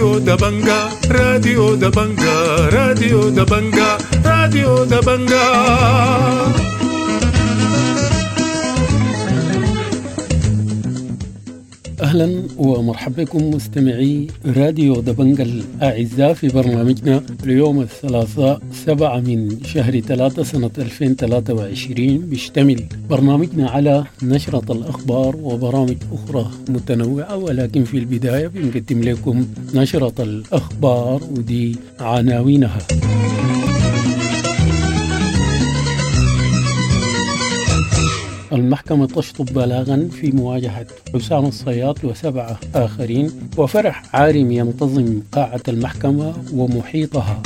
راديو دبنجا، راديو دبنجا، راديو دبنجا، راديو دبنجا. أهلا ومرحبا بكم مستمعي راديو دبنجا الأعزاء في برنامجنا اليوم الثلاثاء 7 من شهر 3 سنة 2023. بيشتمل برنامجنا على نشرة الأخبار وبرامج أخرى متنوعة، ولكن في البداية بنقدم لكم نشرة الأخبار ودي عناوينها. المحكمة تشطب بلاغا في مواجهة حسام الصياد و7 آخرين، وفرح عارم ينتظم قاعة المحكمة ومحيطها.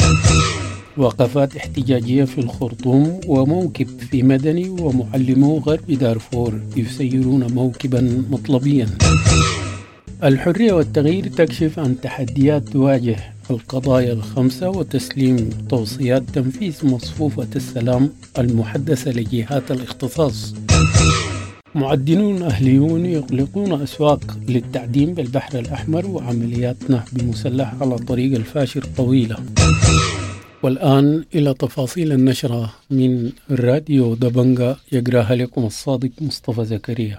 وقفات احتجاجية في الخرطوم وموكب في مدني، ومعلمو غرب دارفور يسيرون موكبا مطلبيا. الحرية والتغيير تكشف عن تحديات تواجه القضايا الخمسة وتسليم توصيات تنفيذ مصفوفة السلام المحدثة لجهات الاختصاص. معدنون أهليون يغلقون أسواق للتعدين بالبحر الأحمر، وعمليات نهب مسلح على طريق الفاشر طويلة. والآن إلى تفاصيل النشرة من راديو دبنجا، يقراها لكم الصادق مصطفى زكريا.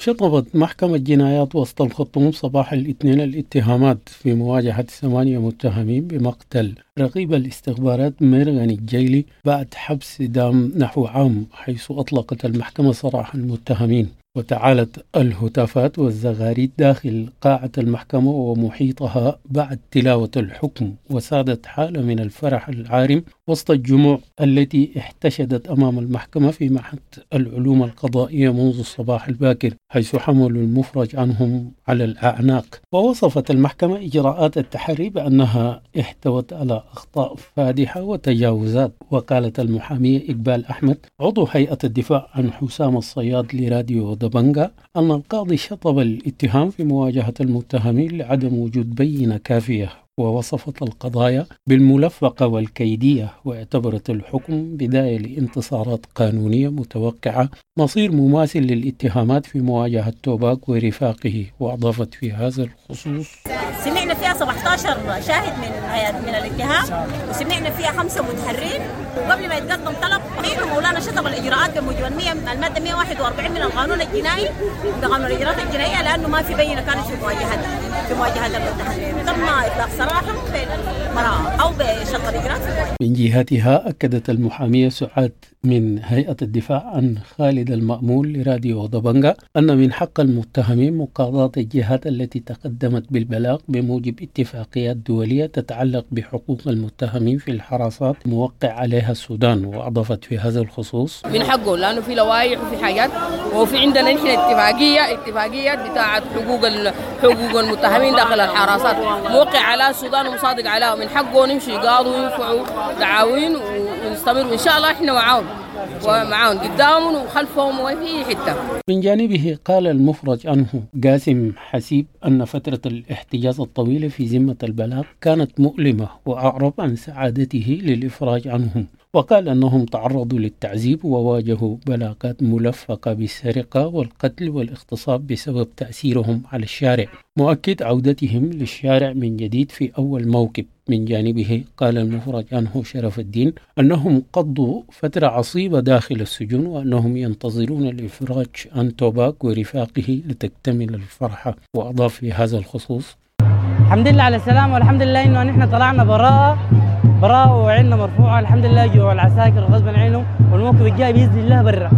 شطبت محكمة جنايات وسط الخرطوم صباح الاثنين الاتهامات في مواجهة 8 متهمين بمقتل رقيب الاستخبارات ميرغني الجيلي بعد حبس دام نحو عام، حيث أطلقت المحكمة سراح المتهمين. وتعالت الهتافات والزغاريد داخل قاعة المحكمة ومحيطها بعد تلاوة الحكم، وسادت حالة من الفرح العارم وسط الجموع التي احتشدت أمام المحكمة في معهد العلوم القضائية منذ الصباح الباكر، حيث حملوا المفرج عنهم على الأعناق. ووصفت المحكمة إجراءات التحري بأنها احتوت على أخطاء فادحة وتجاوزات. وقالت المحامية إقبال أحمد عضو هيئة الدفاع عن حسام الصياد لراديو دبنجا أن القاضي شطب الاتهام في مواجهة المتهمين لعدم وجود بينة كافية، ووصفت القضايا بالملفقة والكيدية، واعتبرت الحكم بداية لانتصارات قانونية متوقعة مصير مماثل للاتهامات في مواجهة توباك ورفاقه. وأضافت في هذا الخصوص: سمعنا فيها 17 شاهد من الاتهام، وسمعنا فيها 5 متحرين، وقبل ما يتقدم طلب مولانا شطب الاجراءات بموجب الماده 141 من القانون الجنائي بقانون الاجراءات الجنائيه، لانه ما في بينه كانت في مواجهه المتهمين. تم اطلاق سراحهم بالبراءه او بشطب الاجراءات. من جهتها اكدت المحاميه سعاد من هيئه الدفاع عن خالد المأمول لراديو دبنجا ان من حق المتهمين مقاضاه الجهات التي تقدمت بالبلاغ بموجب اتفاقيات دوليه تتعلق بحقوق المتهمين في الحراسات موقع عليها السودان. واضافت في هذا الخصوص: من حقه، لانه في لوائح وفي حاجات، وفي عندنا نحن اتفاقيه بتاعه حقوق المتهمين داخل الحراسات موقع على السودان ومصادق عليها، من حقه نمشي يقاضوا وينفعوا دعاوين ونستمر، وان شاء الله احنا معاهم ومعاهم قدامهم وخلفهم وفي حته. من جانبه قال المفرج عنه قاسم حسيب أن فترة الاحتجاز الطويلة في ذمة البلاغ كانت مؤلمة، وأعرب عن سعادته للإفراج عنهم، وقال أنهم تعرضوا للتعذيب وواجهوا بلاغات ملفقة بالسرقة والقتل والاغتصاب بسبب تأثيرهم على الشارع، مؤكد عودتهم للشارع من جديد في أول موكب. من جانبه قال المفرج عنه شرف الدين أنهم قضوا فترة عصيبة داخل السجون، وأنهم ينتظرون الإفراج عن توباك ورفاقه لتكتمل الفرحة. وأضاف في هذا الخصوص: الحمد لله على السلامة، والحمد لله إنه نحن طلعنا براءة وعيننا مرفوعة، الحمد لله. جوا العساكر غصبا عنهم، والموقف الجاي بإذن الله برا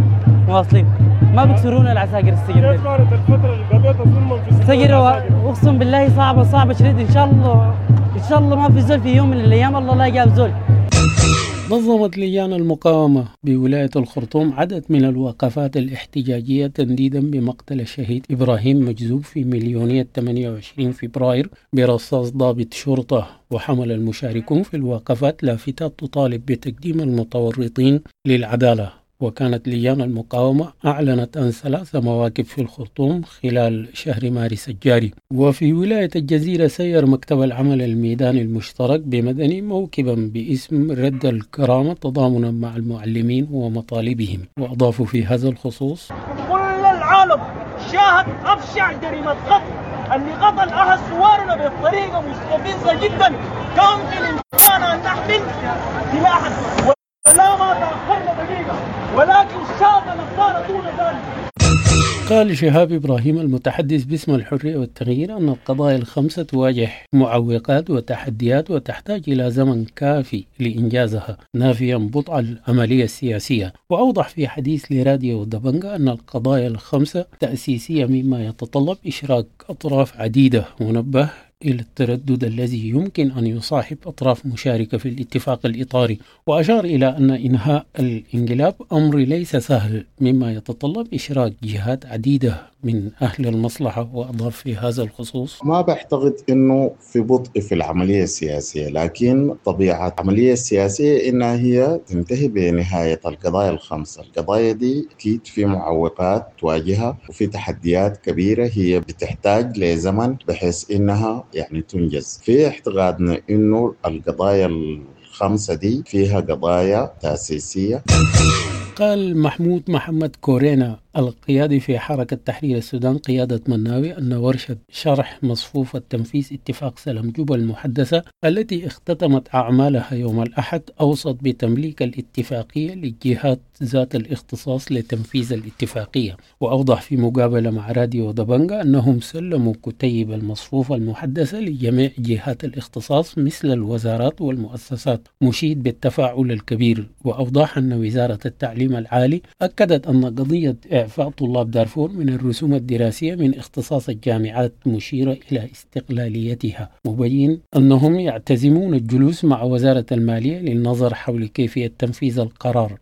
مواصلين، ما بيكسرونا العساكر السجن. كيف كانت الفترة اللي قضيتها ظلما في السجن؟ أقسم بالله صعبة شديد. إن شاء الله إن شاء الله ما في زول في يوم من الأيام الله لا جاب زول. نظمت لجان المقاومة بولاية الخرطوم عدد من الوقفات الاحتجاجية تنديدا بمقتل الشهيد إبراهيم مجذوب في مليونية 28 فبراير برصاص ضابط شرطة. وحمل المشاركون في الوقفات لافتات تطالب بتقديم المتورطين للعدالة. وكانت لجان المقاومة أعلنت عن 3 مواكب في الخرطوم خلال شهر مارس الجاري. وفي ولاية الجزيرة سير مكتب العمل الميداني المشترك بمدني موكبا باسم رد الكرامة تضامنا مع المعلمين ومطالبهم. وأضافوا في هذا الخصوص: كل العالم العالم شاهد أبشع جريمة قتل، اللي قتل أحد ثوارنا بطريقة مستفزة جدا. كان في الإمكان أن نحمل سلاحا ولا ما تأخرنا دقيقة، ولكن شاءت الأقدار دون ذلك. قال شهاب إبراهيم المتحدث باسم الحرية والتغيير أن القضايا الخمسة تواجه معوقات وتحديات وتحتاج إلى زمن كافي لإنجازها، نافيا بطء العملية السياسية. وأوضح في حديث لراديو دبنجا أن القضايا الخمسة تأسيسية مما يتطلب إشراك أطراف عديدة، ونبه إلى التردد الذي يمكن أن يصاحب أطراف مشاركة في الاتفاق الإطاري. وأشار إلى أن إنهاء الانقلاب أمر ليس سهل مما يتطلب إشراك جهات عديدة من أهل المصلحة. وأضاف في هذا الخصوص: ما بعتقد أنه في بطء في العملية السياسية، لكن طبيعة العملية السياسية إنها هي تنتهي بنهاية القضايا الخمسة. القضايا دي أكيد في معوقات تواجهها وفي تحديات كبيرة هي بتحتاج لزمن بحيث إنها يعني تنجز. في اعتقادنا إنه القضايا الخمسة دي فيها قضايا تأسيسية. قال محمود محمد كورينا القيادي في حركة تحرير السودان قيادة مناوي أن ورشة شرح مصفوفة تنفيذ اتفاق سلام جوبا المحدثة التي اختتمت أعمالها يوم الأحد أوصت بتمليك الاتفاقية للجهات ذات الاختصاص لتنفيذ الاتفاقية. وأوضح في مقابلة مع راديو دبنجا أنهم سلموا كتيب المصفوفة المحدثة لجميع جهات الاختصاص مثل الوزارات والمؤسسات، مشيد بالتفاعل الكبير. وأوضح أن وزارة التعليم العالي أكدت أن قضية إعفاء طلاب دارفور من الرسوم الدراسية من اختصاص الجامعات، مشيرة إلى استقلاليتها، مبين أنهم يعتزمون الجلوس مع وزارة المالية للنظر حول كيفية تنفيذ القرار.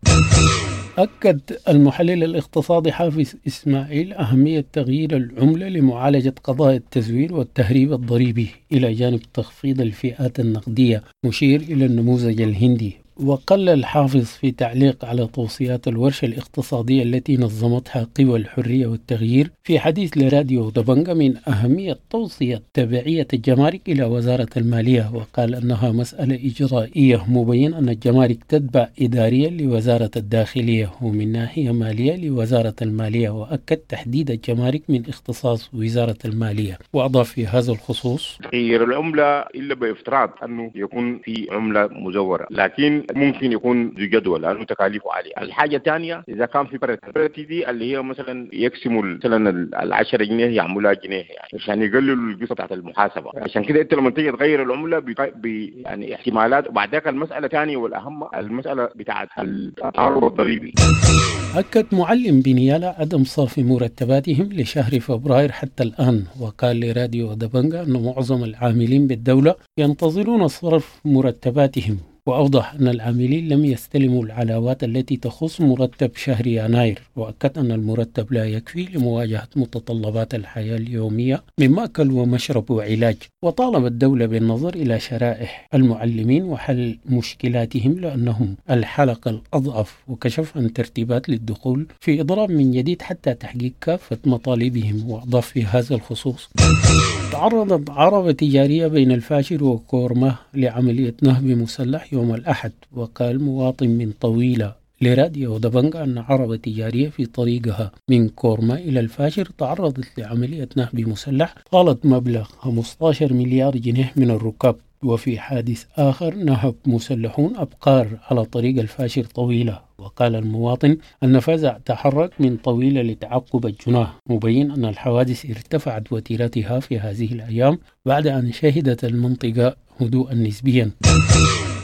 أكد المحلل الاقتصادي حافظ إسماعيل أهمية تغيير العملة لمعالجة قضايا التزوير والتهريب الضريبي إلى جانب تخفيض الفئات النقدية، مشير إلى النموذج الهندي. وقلل حافظ في تعليق على توصيات الورشة الاقتصادية التي نظمتها قوى الحرية والتغيير في حديث لراديو دبنجا من أهمية توصية تبعية الجمارك إلى وزارة المالية، وقال أنها مسألة إجرائية، مبين أن الجمارك تتبع إداريا لوزارة الداخلية ومن ناحية مالية لوزارة المالية، وأكد تحديد الجمارك من اختصاص وزارة المالية. وأضاف في هذا الخصوص: تغيير العملة إلا بافتراض أنه يكون في عملة مزورة، لكن ممكن يكون ذو جدوى لانه تكاليفه عاليه. الحاجه الثانيه اذا كان في parity دي اللي هي مثلا يقسموا مثلا ال10 جنيه يعملوها جنيه يعني عشان يقللوا القصه بتاعت المحاسبه. عشان كده انت لما تيجي تغير العمله يعني احتمالات. وبعد ذاك المساله الثانيه والاهم المساله بتاعت التهرب الضريبي. أكد معلم بنيالا عدم صرف مرتباتهم لشهر فبراير حتى الآن، وقال لراديو دبنجا أن معظم العاملين بالدولة ينتظرون صرف مرتباتهم. وأوضح أن العاملين لم يستلموا العلاوات التي تخص مرتب شهر يناير، وأكد أن المرتب لا يكفي لمواجهة متطلبات الحياة اليومية من مأكل ومشرب وعلاج. وطالب الدولة بالنظر إلى شرائح المعلمين وحل مشكلاتهم لأنهم الحلقة الأضعف، وكشف عن ترتيبات للدخول في إضراب من جديد حتى تحقيق كافة مطالبهم. وأضاف في هذا الخصوص: تعرضت عربة تجارية بين الفاشر وكورما لعملية نهب مسلح يوم الأحد، وقال مواطن من طويلة لراديو دبنجا أن عربة تجارية في طريقها من كورما إلى الفاشر تعرضت لعملية نهب مسلح طالت مبلغ 15 مليار جنيه من الركاب. وفي حادث آخر نهب مسلحون أبقار على طريق الفاشر طويلة، وقال المواطن أن فزع تحرك من طويلة لتعقب الجناه، مبين أن الحوادث ارتفعت وتيرتها في هذه الأيام بعد أن شهدت المنطقة هدوءا نسبيا.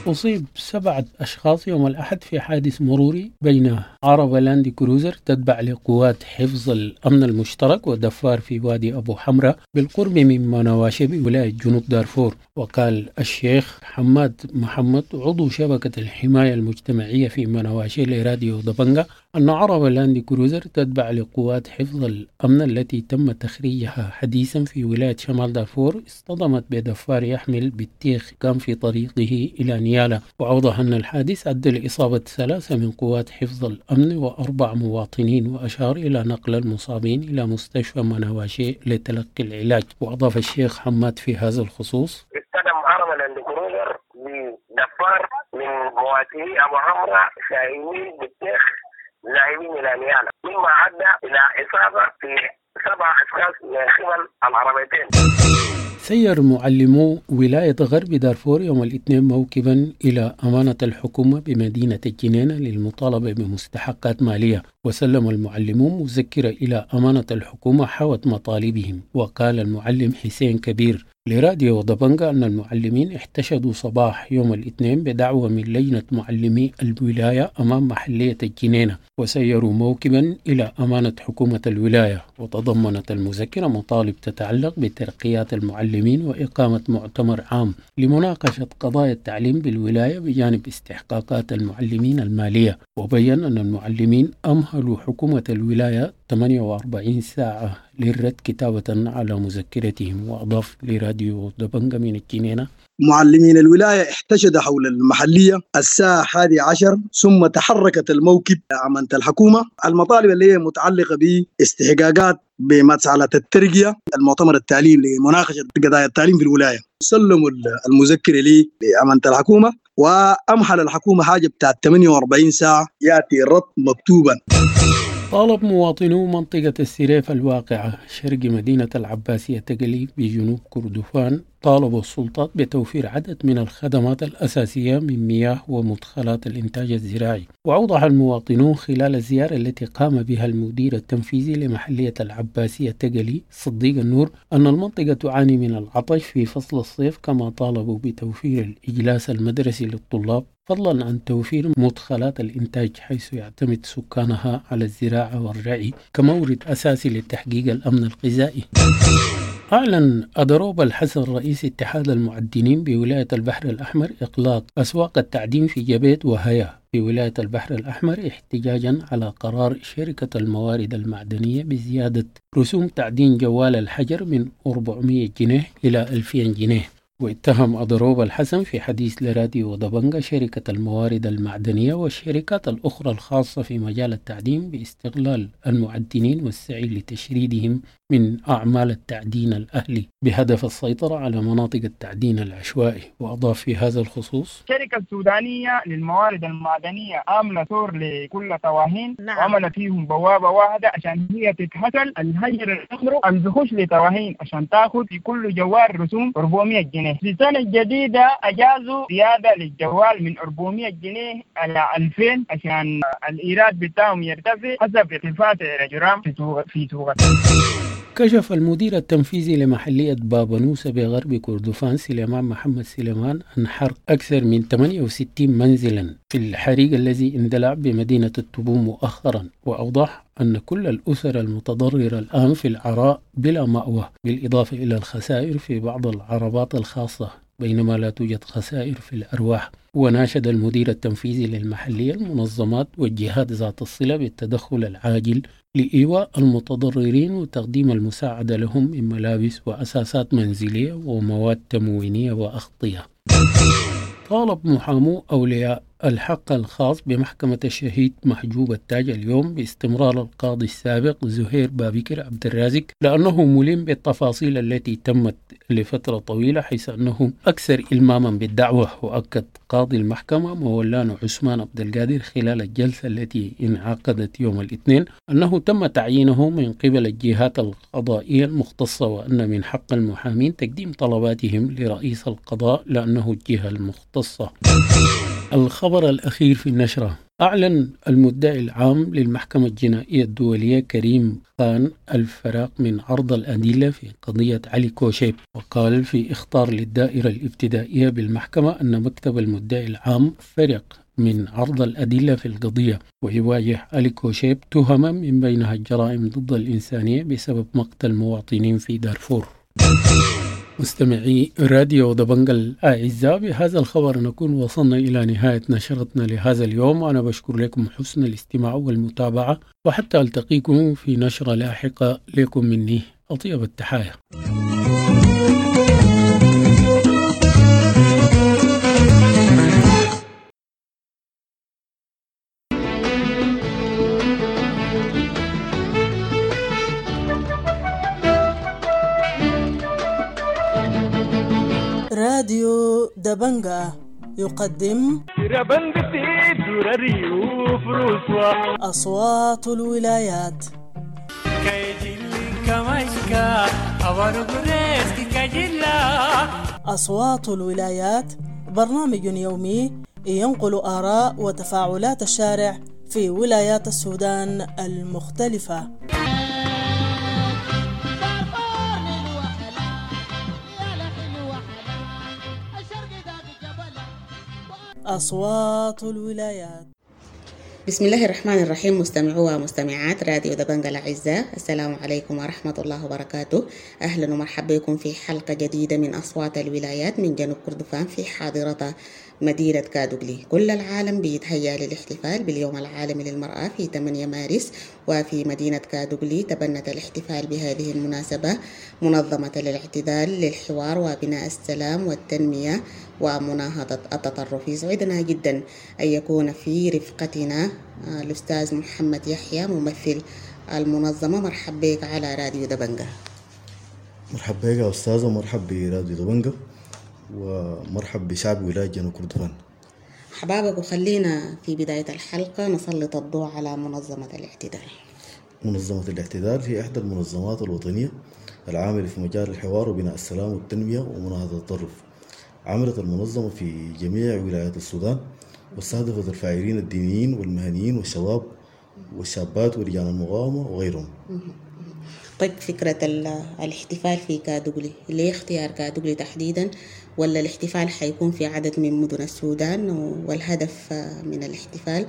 أصيب 7 أشخاص يوم الأحد في حادث مروري بين عربة لاند كروزر تتبع لقوات حفظ الأمن المشترك ودفار في وادي أبو حمرة بالقرب من منواشي بولاية جنوب دارفور. وقال الشيخ حماد محمد عضو شبكة الحماية المجتمعية في منواشي لراديو دبنجا أن عربة لاند كروزر تتبع لقوات حفظ الأمن التي تم تخريجها حديثا في ولاية شمال دارفور اصطدمت بدفار يحمل بطيخ كان في طريقه إلى نيالا. وأوضح أن الحادث أدى لإصابة 3 من قوات حفظ الأمن و4 مواطنين، وأشار إلى نقل المصابين إلى مستشفى منواشي لتلقي العلاج. وأضاف الشيخ حماد في هذا الخصوص: اصطدم عربة لاند كروزر بدفار من مواطني أبو حمرة شايلين بطيخ لاعبين الى نيالا، مما ادى الى اصابه في 7 اشخاص من قبل العربيتين. سير معلمو ولاية غرب دارفور يوم الاثنين موكبا إلى أمانة الحكومة بمدينة الجنينة للمطالبة بمستحقات مالية، وسلم المعلمون مذكرة إلى أمانة الحكومة حوت مطالبهم. وقال المعلم حسين كبير لراديو دبنجا أن المعلمين احتشدوا صباح يوم الاثنين بدعوة من لجنة معلمي الولاية أمام محلية الجنينة، وسيروا موكبا إلى أمانة حكومة الولاية. وتضمنت المذكرة مطالب تتعلق بترقيات المعلمين وإقامة مؤتمر عام لمناقشة قضايا التعليم بالولاية بجانب استحقاقات المعلمين المالية. وبين أن المعلمين أمهلوا حكومة الولاية 48 ساعة للرد كتابة على مذكرتهم. وأضاف لراديو دبنجا من الجنينة: معلمين الولاية احتشد حول المحلية الساعة 11، ثم تحركت الموكب أمانة الحكومة. المطالب اللي هي متعلقة باستحقاقات بمسألة الترقية، المؤتمر التعليم لمناقشة قضايا التعليم في الولاية. سلموا المذكرة لي لأمانة الحكومة، وأمحل الحكومة حاجة بتاعت 48 ساعة يأتي الرد مكتوبا. طالب مواطنو منطقة السريف الواقعة شرق مدينة العباسية تقلي بجنوب كردفان طالبوا السلطات بتوفير عدد من الخدمات الأساسية من مياه ومدخلات الإنتاج الزراعي. وأوضح المواطنون خلال الزيارة التي قام بها المدير التنفيذي لمحلية العباسية تقلي صديق النور أن المنطقة تعاني من العطش في فصل الصيف، كما طالبوا بتوفير الإجلاس المدرسي للطلاب فضلا عن توفير مدخلات الإنتاج، حيث يعتمد سكانها على الزراعة والرعي كمورد أساسي لتحقيق الأمن الغذائي. أعلن أدروب الحسن رئيس اتحاد المعدنين بولاية البحر الأحمر إغلاق أسواق التعدين في جبيت وهيا في ولاية البحر الأحمر احتجاجا على قرار شركة الموارد المعدنية بزيادة رسوم تعدين جوال الحجر من 400 جنيه إلى 2000 جنيه. واتهم أدروب الحسن في حديث لراديو دبنجا شركة الموارد المعدنية والشركات الأخرى الخاصة في مجال التعدين باستغلال المعدنين والسعي لتشريدهم من أعمال التعدين الأهلي بهدف السيطرة على مناطق التعدين العشوائي. وأضاف في هذا الخصوص: الشركة السودانية للموارد المعدنية عاملة ثور لكل طواهين، نعم. وعملت فيهم بوابة واحدة عشان هي تتحصل الهجر الأمر البخش لطواهين عشان تاخذ في كل جوال رسوم 400 جنيه. في السنة الجديدة أجازوا زيادة للجوال من 400 جنيه على 2000 عشان الإيراد بتاعهم يرتفع حسب ارتفاع الجرام في سوق. كشف المدير التنفيذي لمحلية بابنوسة بغرب كردفان سليمان محمد سليمان عن حرق أكثر من 68 منزلا في الحريق الذي اندلع بمدينة التبو مؤخرا، وأوضح أن كل الأسر المتضررة الآن في العراء بلا مأوى، بالإضافة إلى الخسائر في بعض العربات الخاصة، بينما لا توجد خسائر في الأرواح. وناشد المدير التنفيذي للمحلية المنظمات والجهات ذات الصلة بالتدخل العاجل لإيواء المتضررين وتقديم المساعدة لهم من ملابس وأساسات منزلية ومواد تموينية وأغطية. طالب محامو أولياء الحق الخاص بمحكمة الشهيد محجوب التاج اليوم باستمرار القاضي السابق زهير بابكر عبد الرازق لأنه ملم بالتفاصيل التي تمت لفترة طويلة، حيث أنه أكثر إلماما بالدعوة. وأكد قاضي المحكمة مولانا عثمان عبد القادر خلال الجلسة التي انعقدت يوم الاثنين أنه تم تعيينه من قبل الجهات القضائية المختصة، وأن من حق المحامين تقديم طلباتهم لرئيس القضاء لأنه الجهة المختصة. الخبر الأخير في النشرة: أعلن المدعي العام للمحكمة الجنائية الدولية كريم خان الفراغ من عرض الأدلة في قضية علي كوشيب، وقال في إخطار للدائرة الابتدائية بالمحكمة أن مكتب المدعي العام فرق من عرض الأدلة في القضية، ويواجه علي كوشيب تهما من بينها الجرائم ضد الإنسانية بسبب مقتل مواطنين في دارفور. مستمعي راديو دبنجا الأعزاء، بهذا الخبر نكون وصلنا إلى نهاية نشرتنا لهذا اليوم. أنا بشكر لكم حسن الاستماع والمتابعة، وحتى ألتقيكم في نشرة لاحقة لكم مني أطيب التحايا. راديو دبنجا. يقدم أصوات الولايات. أصوات الولايات برنامج يومي ينقل آراء وتفاعلات الشارع في ولايات السودان المختلفة. أصوات الولايات. بسم الله الرحمن الرحيم. مستمعو ومستمعات راديو دبنجا الأعزاء، السلام عليكم ورحمة الله وبركاته. أهلا ومرحبا بكم في حلقة جديدة من أصوات الولايات من جنوب كردفان في حاضرة مدينة كادوغلي. كل العالم بيتهيأ للاحتفال باليوم العالمي للمرأة في 8 مارس، وفي مدينة كادوغلي تبنت الاحتفال بهذه المناسبة منظمة للاعتدال للحوار وبناء السلام والتنمية ومناهضة التطرف. يسعدنا جدا أن يكون في رفقتنا الأستاذ محمد يحيى ممثل المنظمة. مرحب بك على راديو دبنجا. مرحب بك يا أستاذة، ومرحب براديو دبنجا، ومرحب بشعب ولاية جنوب كردفان. حبابك، وخلينا في بداية الحلقة نسلط الضوء على منظمة الاعتدال. منظمة الاعتدال هي إحدى المنظمات الوطنية العاملة في مجال الحوار وبناء السلام والتنمية ومناهضة التطرف. عملت المنظمة في جميع ولايات السودان، واستهدفت الفاعلين الدينيين والمهنيين والشباب والشابات ولجان المقاومة وغيرهم. طيب، فكرة الاحتفال في كادوغلي، ليه اختيار كادوغلي تحديدا؟ ولا الاحتفال حيكون في عدد من مدن السودان، والهدف من الاحتفال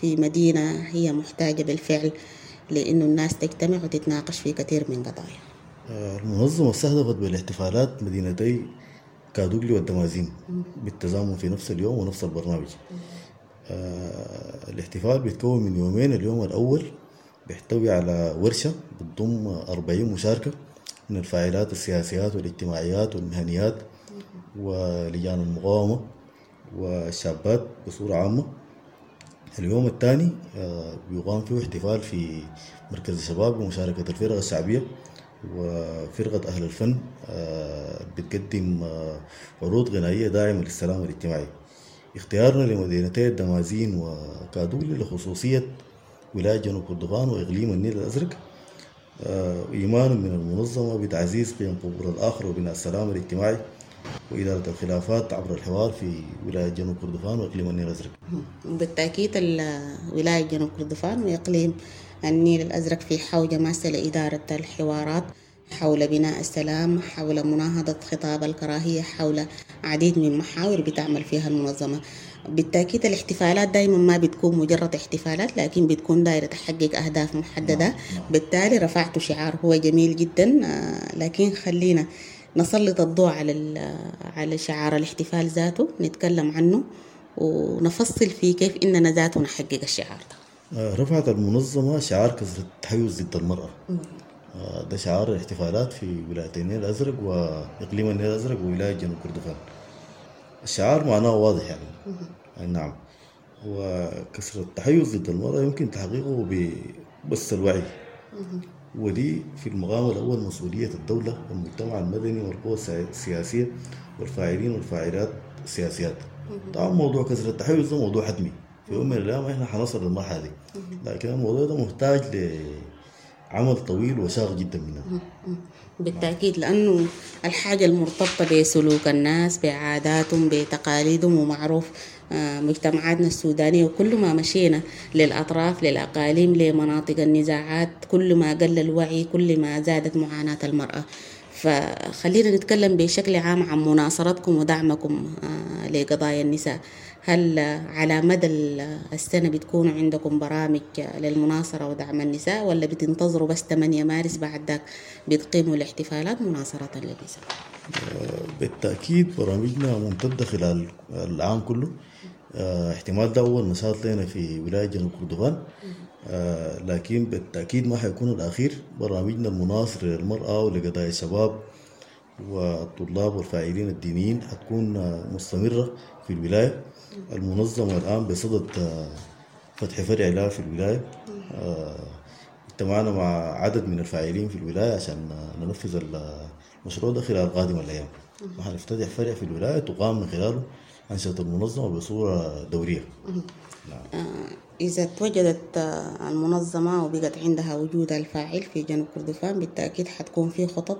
في مدينة هي محتاجة بالفعل لأنه الناس تجتمع وتتناقش في كثير من قضايا؟ المنظمة استهدفت بالاحتفالات مدينتي كادوغلي والدمازين بالتزامن في نفس اليوم ونفس البرنامج. الاحتفال بيتكون من يومين. اليوم الأول بيحتوي على ورشة بتضم 40 مشاركة من الفاعلات السياسيات والاجتماعيات والمهنيات ولجان المقاومة والشابات بصورة عامة. اليوم الثاني بيقام فيه احتفال في مركز الشباب بمشاركة الفرق الشعبية وفرقة أهل الفن بتقدم عروض غنائية داعمة للسلام الاجتماعي. اختيارنا لمدينتي الدمازين وكادوغلي لخصوصية ولاية جنوب كردفان وإقليم النيل الأزرق، إيمانا من المنظمة بتعزيز قيم قبول الآخر وبناء السلام الاجتماعي وإدارة الخلافات عبر الحوار في ولاية جنوب كردفان وإقليم النيل الأزرق. بالتأكيد ولاية جنوب كردفان وإقليم النيل الأزرق في حوجة ماسة لإدارة الحوارات حول بناء السلام، حول مناهضة خطاب الكراهية، حول عديد من محاور بتعمل فيها المنظمة. بالتأكيد الاحتفالات دايما ما بتكون مجرد احتفالات، لكن بتكون دايرة تحقق أهداف محددة. بالتالي رفعت شعار هو جميل جدا، لكن خلينا نسلط الضوء على شعار الاحتفال ذاته، نتكلم عنه ونفصل فيه كيف إننا ذاته نحقق الشعار ده. رفعت المنظمة شعار كسر التحيز ضد المرأة. ده شعار الاحتفالات في ولاية النيل الأزرق وإقليم النيل الأزرق وولاية جنوب كردفان. الشعار معناه واضح يعني. نعم، وكسر التحيز ضد المرأة يمكن تحقيقه بس الوعي، ودي في المقام الأول مسؤولية الدولة والمجتمع المدني والقوى السياسية والفاعلين والفاعلات السياسيات. طبعا موضوع كسر التحيز ده موضوع حتمي، في يوم من الأيام احنا حنصل للمرحلة دي، لكن الموضوع ده محتاج لعمل طويل وشاق جدا مننا. بالتأكيد، لأنه الحاجة المرتبطة بسلوك الناس، بعاداتهم، بتقاليدهم، ومعروف مجتمعاتنا السودانية، وكل ما مشينا للأطراف، للأقاليم، لمناطق النزاعات، كل ما قل الوعي كل ما زادت معاناة المرأة. فخلينا نتكلم بشكل عام عن مناصرتكم ودعمكم لقضايا النساء. هل على مدى السنة بتكون عندكم برامج للمناصرة ودعم النساء، ولا بتنتظروا بس 8 مارس بعد ذاك بتقيموا الاحتفالات مناصرة للنساء؟ بالتأكيد برامجنا ممتدة خلال العام كله. احتمال ده أول نشاط لنا في ولاية جنوب كردفان، لكن بالتأكيد ما حيكون الأخير. برامجنا المناصرة للمرأة ولقضايا الشباب والطلاب والفاعلين الدينيين حتكون مستمرة في الولاية. المنظمة الآن بصدد فتح فرع لها في الولاية. اجتمعنا مع عدد من الفاعلين في الولاية عشان ننفذ المشروع ده خلال قادم الأيام. وحنفتتح فرع في الولاية تقام من خلاله أنشطة المنظمة بصورة دورية. نعم. إذا توجدت المنظمة وبقت عندها وجودها الفاعل في جنوب كردفان، بالتأكيد حتكون في خطط،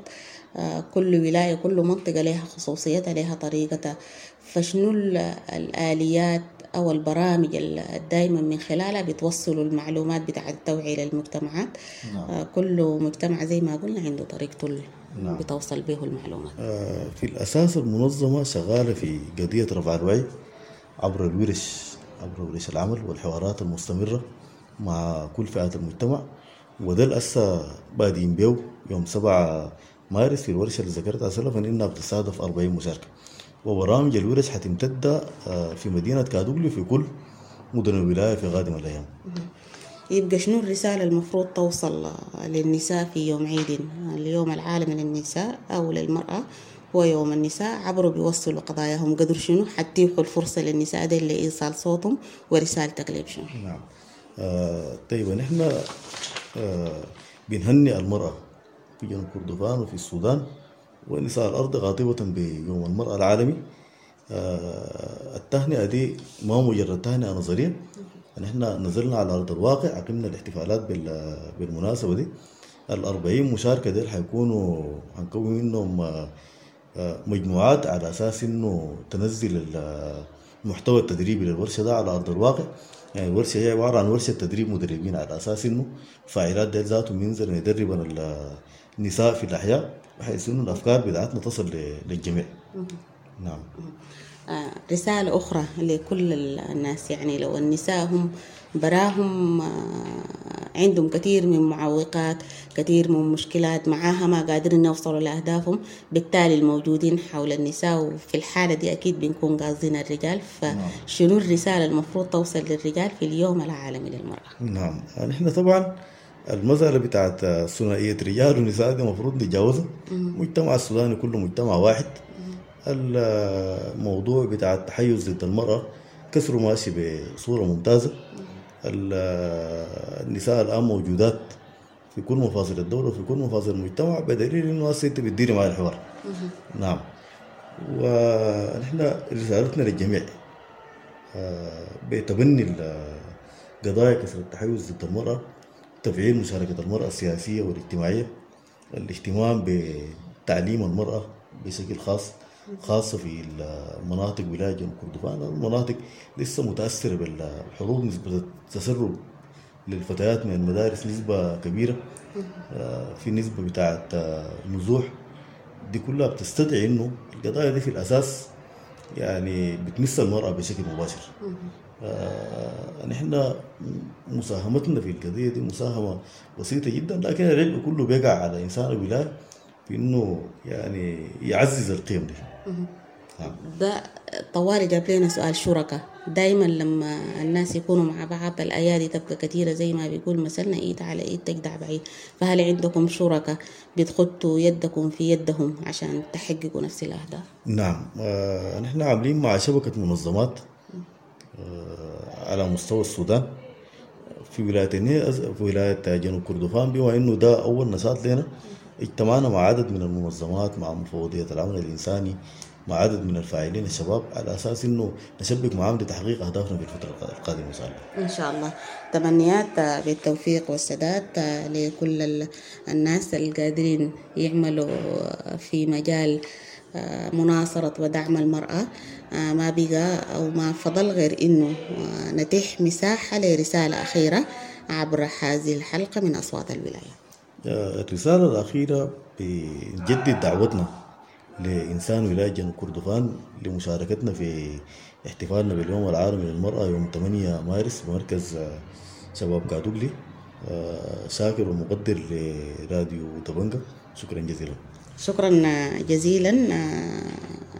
كل ولاية كل منطقة لها خصوصيتها لها طريقتها، فشنو الآليات أو البرامج الدايما من خلالها بتوصلوا المعلومات بتاعة التوعية للمجتمعات؟ نعم. كل مجتمع زي ما قلنا عنده طريقته نعم. بتوصل به المعلومات. في الأساس المنظمة شغالة في قضية رفع الوعي عبر الورش، عبر ورش العمل والحوارات المستمرة مع كل فئات المجتمع، وده الأسا بادين بيه يوم 7 مارس في الورشة اللي ذكرتها سلفا إنها بتستهدف 40 مشاركة. وبرامج الورش حتمتد في مدينة كادوغلي في كل مدن الولاية في قادم الأيام. يبقى شنو الرسالة المفروض توصل للنساء في يوم عيد اليوم العالمي للنساء أو للمرأة هو يوم النساء، عبروا بيوصلوا قضاياهم قدر شنو حتيحوا الفرصة للنساء دي لإيصال صوتهم، ورسالتك ليه شنو؟ نعم. طيب نحن بنهنئ المرأة في جنوب كردفان وفي السودان ونساء الأرض قاطبة بيوم المرأة العالمي. التهنئة دي ما مجرد تهنئة نظرية، نحن نزلنا على أرض الواقع، عقمنا الاحتفالات بالمناسبة دي. 40 مشاركة دي حيكونوا هنكون منهم مجموعات على أساس إنه تنزل المحتوى التدريبي للورشة ده على أرض الواقع. يعني الورشة هي عبارة عن ورشة تدريب مدربين على أساس إنه فاعلات ديل ذاتهم ينزلوا يدربوا النساء في الأحياء بحيث إنه الأفكار بتاعتنا تصل للجميع. نعم. رسالة أخرى لكل الناس، يعني لو النساء هم براهم عندهم كثير من معوقات، كثير من مشكلات معاها ما قادرين يوصلوا لأهدافهم، بالتالي الموجودين حول النساء وفي الحالة دي أكيد بنكون قاصدين الرجال، فشنو الرسالة المفروض توصل للرجال في اليوم العالمي للمرأة؟ نعم، نحن طبعا المسألة بتاعت ثنائية رجال ونساء دي المفروض نتجاوزها. المجتمع السوداني كله مجتمع واحد. الموضوع بتاع التحيز ضد المرأة كسره ماشي بصورة ممتازة. النساء الآن موجودات في كل مفاصل الدولة وفي كل مفاصل المجتمع، بدليل إنه هسه أنت بتديري مع الحوار. نعم، ونحن رسالتنا للجميع بتبني قضايا كسر التحيز ضد المرأة، تفعيل مشاركة المرأة السياسية والاجتماعية، الاهتمام بتعليم المرأة بشكل خاص، خاصة في المناطق ولاية جنوب كردفان، المناطق لسه متأثرة بالحروب، نسبة التسرب للفتيات من المدارس نسبة كبيرة، في نسبة بتاعة نزوح، دي كلها بتستدعي إنه القضايا دي في الأساس يعني بتمس المرأة بشكل مباشر. نحن مساهمتنا في القضية دي مساهمة بسيطة جدا، لكن العبء كله بيقع على إنسان الولاية في إنه يعني يعزز القيم دي. ده طوالي جاب لنا سؤال شركاء. دايما لما الناس يكونوا مع بعض الأيادي تبقى كثيرة، زي ما بيقول مثلنا إيد على إيد تجدع بعيد، فهل عندكم شركاء بتخطوا يدكم في يدهم عشان تحققوا نفس الأهداف؟ نعم، نحن عاملين مع شبكة منظمات على مستوى السودان في ولاية في ولاية جنوب كردفان، بما إنه ده أول نشاط لنا اجتمعنا مع عدد من المنظمات، مع مفوضية العمل الإنساني، مع عدد من الفاعلين الشباب، على أساس إنه نشبك معهم لتحقيق أهدافنا في الفترة القادمة إن شاء الله. إن شاء الله. تمنيات بالتوفيق والسداد لكل الناس القادرين يعملوا في مجال مناصرة ودعم المرأة. ما بقى أو ما فضل غير إنه نتيح مساحة لرسالة أخيرة عبر هذه الحلقة من أصوات الولاية. الرسالة الأخيرة بنجدد دعوتنا لإنسان ولاية جنوب كردفان لمشاركتنا في احتفالنا باليوم العالمي للمرأة يوم 8 مارس بمركز شباب كادوغلي. شاكر ومقدر لراديو دبنجة، شكرا جزيلا. شكرا جزيلا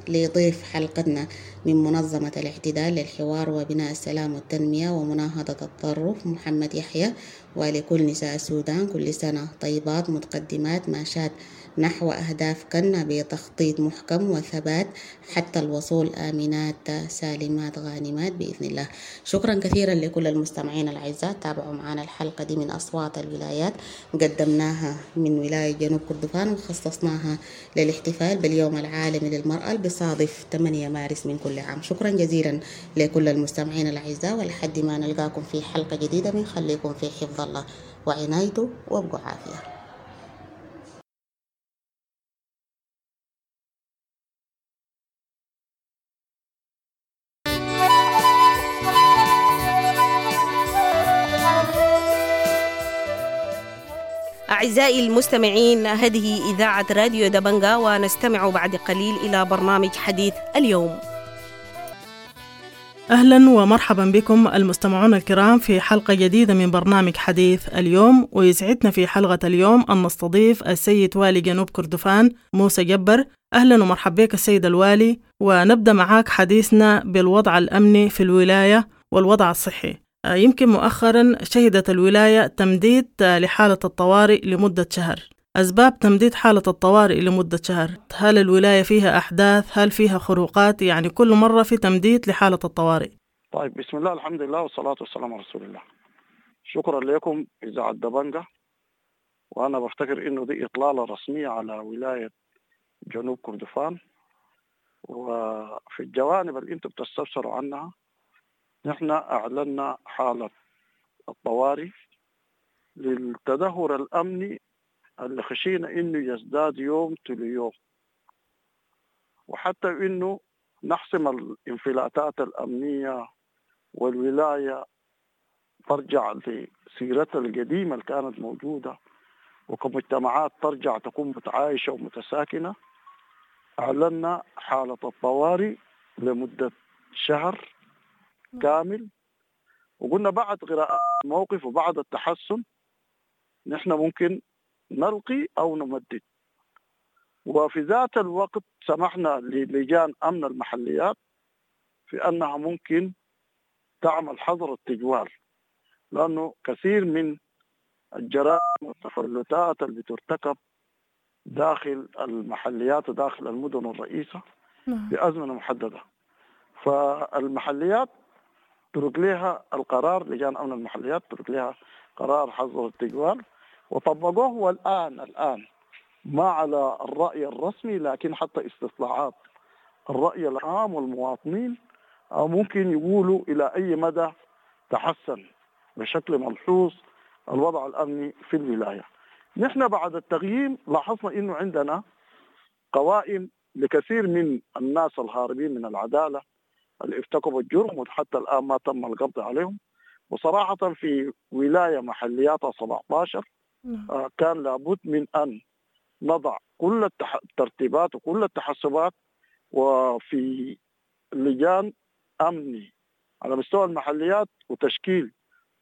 لضيف حلقتنا من منظمة الاعتدال للحوار وبناء السلام والتنمية ومناهضة التطرف محمد يحيى، ولكل نساء السودان كل سنة طيبات متقدمات ماشات نحو أهدافكن بتخطيط محكم وثبات حتى الوصول آمنات سالمات غانمات بإذن الله. شكرا كثيرا لكل المستمعين الأعزاء، تابعوا معنا الحلقة دي من أصوات الولايات، قدمناها من ولاية جنوب كردفان وخصصناها للاحتفال باليوم العالمي للمرأة بصادف 8 مارس من كل عام. شكرا جزيلا لكل المستمعين الأعزاء، ولحد ما نلقاكم في حلقة جديدة بنخليكم في حفظ الله وعنايته، وابقوا عافية. أعزائي المستمعين، هذه إذاعة راديو دبنجا، ونستمع بعد قليل إلى برنامج حديث اليوم. أهلا ومرحبا بكم المستمعون الكرام في حلقة جديدة من برنامج حديث اليوم، ويسعدنا في حلقة اليوم أن نستضيف السيد والي جنوب كردفان موسى جبر. أهلا ومرحبا بك السيد الوالي، ونبدأ معاك حديثنا بالوضع الأمني في الولاية والوضع الصحي. يمكن مؤخرا شهدت الولاية تمديد لحالة الطوارئ لمدة شهر. أسباب تمديد حالة الطوارئ لمدة شهر، هل الولاية فيها أحداث؟ هل فيها خروقات؟ يعني كل مرة في تمديد لحالة الطوارئ. طيب، بسم الله الحمد لله والصلاة والسلام على رسول الله. شكرا لكم إذاعة دبنجة، وأنا بفتكر إنه دي إطلالة رسمية على ولاية جنوب كردفان، وفي الجوانب اللي أنتم بتستفسروا عنها نحن أعلنا حالة الطوارئ للتدهور الأمني اللي خشينا إنه يزداد يوم تلو يوم، وحتى إنه نحسم الانفلاتات الأمنية والولاية ترجع لسيرتها القديمة اللي كانت موجودة، وكمجتمعات ترجع تكون متعايشة ومتساكنة. أعلنا حالة الطوارئ لمدة شهر كامل، وقلنا بعد قراءة الموقف وبعد التحسن نحن ممكن نلقي أو نمدد. وفي ذات الوقت سمحنا للجان أمن المحليات في أنها ممكن تعمل حظر التجوال، لأنه كثير من الجرائم والتفلتات اللي بترتكب داخل المحليات وداخل المدن الرئيسة بأزمنة محددة، فالمحليات ترك لها القرار، لجان أمن المحليات ترك لها قرار حظر التجوال وطبقوه. والآن ما على الرأي الرسمي، لكن حتى استطلاعات الرأي العام والمواطنين ممكن يقولوا إلى أي مدى تحسن بشكل ملحوظ الوضع الأمني في الولاية. نحن بعد التغييم لاحظنا إنه عندنا قوائم لكثير من الناس الهاربين من العدالة اللي ارتكبوا الجرم وحتى الآن ما تم القبض عليهم. وصراحة في ولاية محلياتها 17 كان لابد من أن نضع كل الترتيبات وكل التحسبات، وفي لجان أمني على مستوى المحليات وتشكيل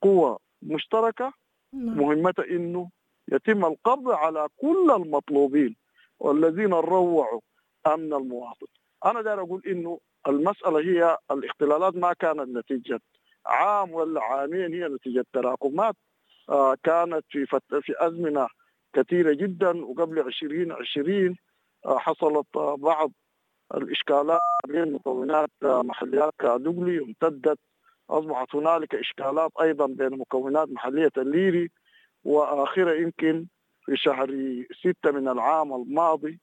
قوة مشتركة مهمتها إنه يتم القبض على كل المطلوبين والذين روعوا أمن المواطن. أنا داير أقول إنه المسألة هي الاختلالات ما كانت نتيجة عام ولا عامين، هي نتيجة تراكمات كانت في أزمنة كثيرة جدا. وقبل 2020 حصلت بعض الإشكالات بين مكونات محليات كادوغلي وامتدت، أصبحت هنالك إشكالات أيضا بين مكونات محلية الليري، وآخرة يمكن في شهر 6 من العام الماضي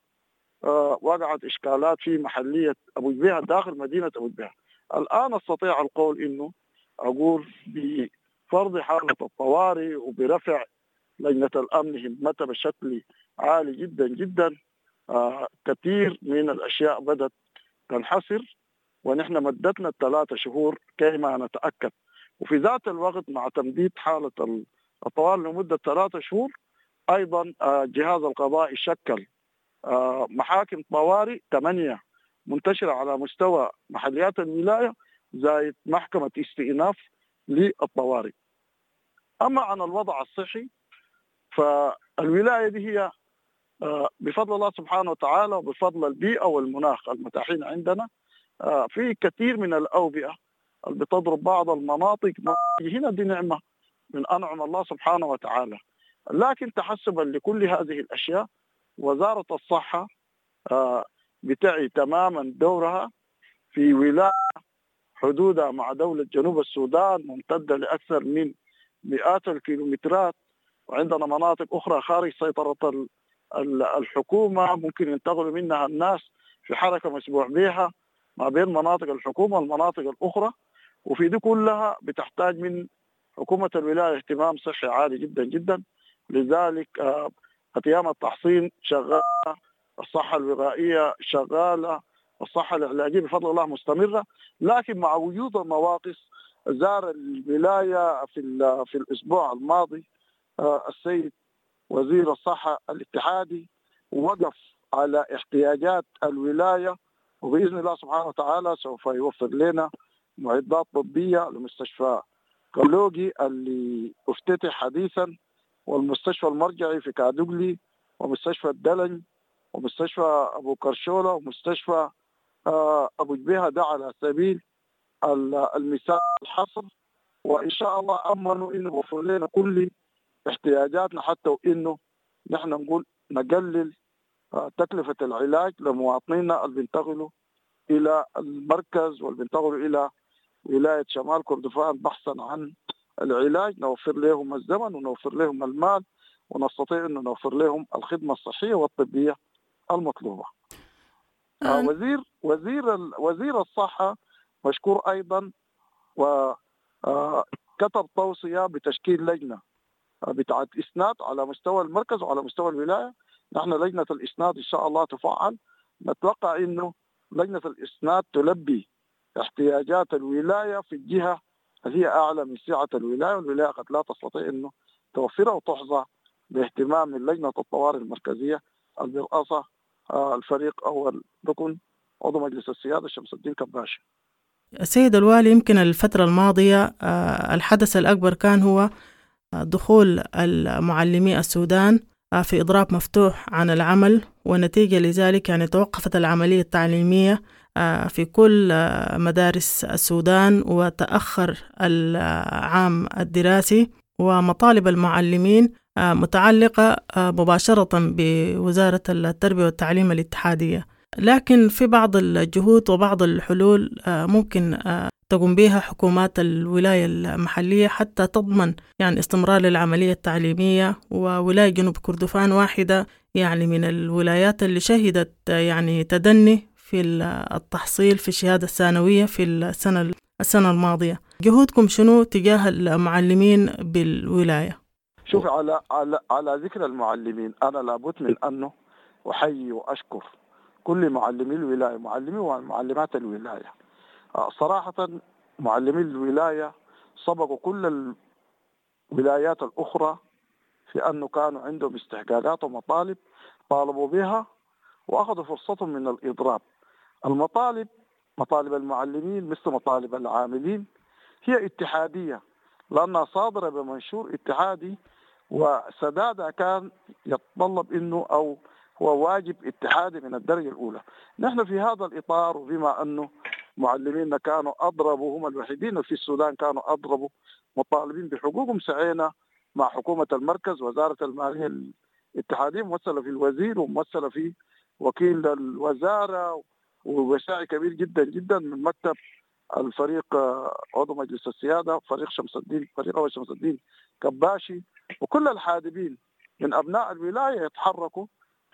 وقعت إشكالات في محلية أبو جبيهة داخل مدينة أبو جبيهة. الآن أستطيع القول إنه أقول بفرض حالة الطوارئ وبرفع لجنة الأمن همتها بشكل عالي جدا جدا، كثير من الأشياء بدأت تنحسر، ونحن مدتنا 3 شهور كيما نتأكد. وفي ذات الوقت مع تمديد حالة الطوارئ لمدة 3 شهور أيضا جهاز القضاء شكل محاكم طوارئ 8 منتشرة على مستوى محليات الولاية، زائد محكمة استئناف للطوارئ. أما عن الوضع الصحي فالولاية دي هي بفضل الله سبحانه وتعالى وبفضل البيئة والمناخ المتاحين عندنا، في كثير من الأوبئة اللي بتضرب بعض المناطق هنا، دي نعمة من أنعم الله سبحانه وتعالى. لكن تحسبا لكل هذه الأشياء وزارة الصحة بتعي تماما دورها في ولاية حدودها مع دولة جنوب السودان ممتدة لأكثر من مئات الكيلومترات، وعندنا مناطق أخرى خارج سيطرة الحكومة ممكن ينتقلوا منها الناس في حركة مسموح بها ما بين مناطق الحكومة والمناطق الأخرى، وفي دي كلها بتحتاج من حكومة الولاية اهتمام صحي عالي جدا جدا. لذلك أيام التحصين شغالة، الصحة الوقائية شغالة، الصحة العلاجية بفضل الله مستمرة، لكن مع وجود النواقص. زار الولاية في الأسبوع الماضي السيد وزير الصحة الاتحادي، ووقف على احتياجات الولاية، وبإذن الله سبحانه وتعالى سوف يوفر لنا معدات طبية لمستشفى كلوجي اللي افتتح حديثا، والمستشفى المرجعي في كادوغلي، ومستشفى الدلن، ومستشفى أبو كرشولة، ومستشفى أبو جبيهة، ده على سبيل المثال الحصر. وإن شاء الله أمنوا إنه وفر لنا كل احتياجاتنا، حتى وإنه نحن نقول نقلل تكلفة العلاج لمواطنينا اللي بينتقلوا إلى المركز واللي بينتقلوا إلى ولاية شمال كردفان بحثا عن العلاج. نوفر لهم الزمن ونوفر لهم المال، ونستطيع أن نوفر لهم الخدمة الصحية والطبية المطلوبة. وزير وزير وزير الصحة مشكور أيضا، وكتب توصية بتشكيل لجنة بتاعت إسناد على مستوى المركز وعلى مستوى الولاية. نحن لجنة الإسناد إن شاء الله تفعل، نتوقع إنه لجنة الإسناد تلبي احتياجات الولاية في الجهة اللي هي أعلى من سعة الولاية، والولاية قد لا تستطيع إنه توفرها، وتحظى باهتمام من لجنة الطوارئ المركزية البرئاسة الفريق أول ركن عضو مجلس السيادة شمس الدين كباشي. السيد الوالي، يمكن الفترة الماضية الحدث الأكبر كان هو دخول المعلمي السودان في إضراب مفتوح عن العمل، ونتيجة لذلك يعني توقفت العملية التعليمية في كل مدارس السودان، وتأخر العام الدراسي، ومطالب المعلمين متعلقة مباشرة بوزارة التربية والتعليم الاتحادية. لكن في بعض الجهود وبعض الحلول ممكن تقوم بها حكومات الولاية المحلية حتى تضمن يعني استمرار للعملية التعليمية. وولاية جنوب كردفان واحدة يعني من الولايات اللي شهدت يعني تدني في التحصيل في الشهادة الثانوية في السنة الماضية. جهودكم شنو تجاه المعلمين بالولاية؟ شوف، على على على ذكر المعلمين، أنا لابد من أنه أحيي وأشكر كل معلمي الولاية، معلمي ومعلمات الولاية. صراحة معلمي الولاية سبقوا كل الولايات الأخرى في أنه كانوا عندهم استحقاقات ومطالب طالبوا بها وأخذوا فرصتهم من الإضراب. المطالب، مطالب المعلمين مثل مطالب العاملين، هي اتحادية لأنها صادرة بمنشور اتحادي، وسدادها كان يتطلب أنه أو هو واجب اتحادي من الدرجة الأولى. نحن في هذا الإطار، وبما أنه معلمينا كانوا أضربوا، هم الوحيدين في السودان كانوا أضربوا مطالبين بحقوقهم، سعينا مع حكومة المركز، وزارة المالية الاتحادية ممثلة في الوزير وممثلة في وكيل الوزارة، وسعي كبير جدا جدا من مكتب الفريق عضو مجلس السيادة فريق شمس الدين، فريق أول شمس الدين كباشي، وكل الحادبين من أبناء الولاية يتحركوا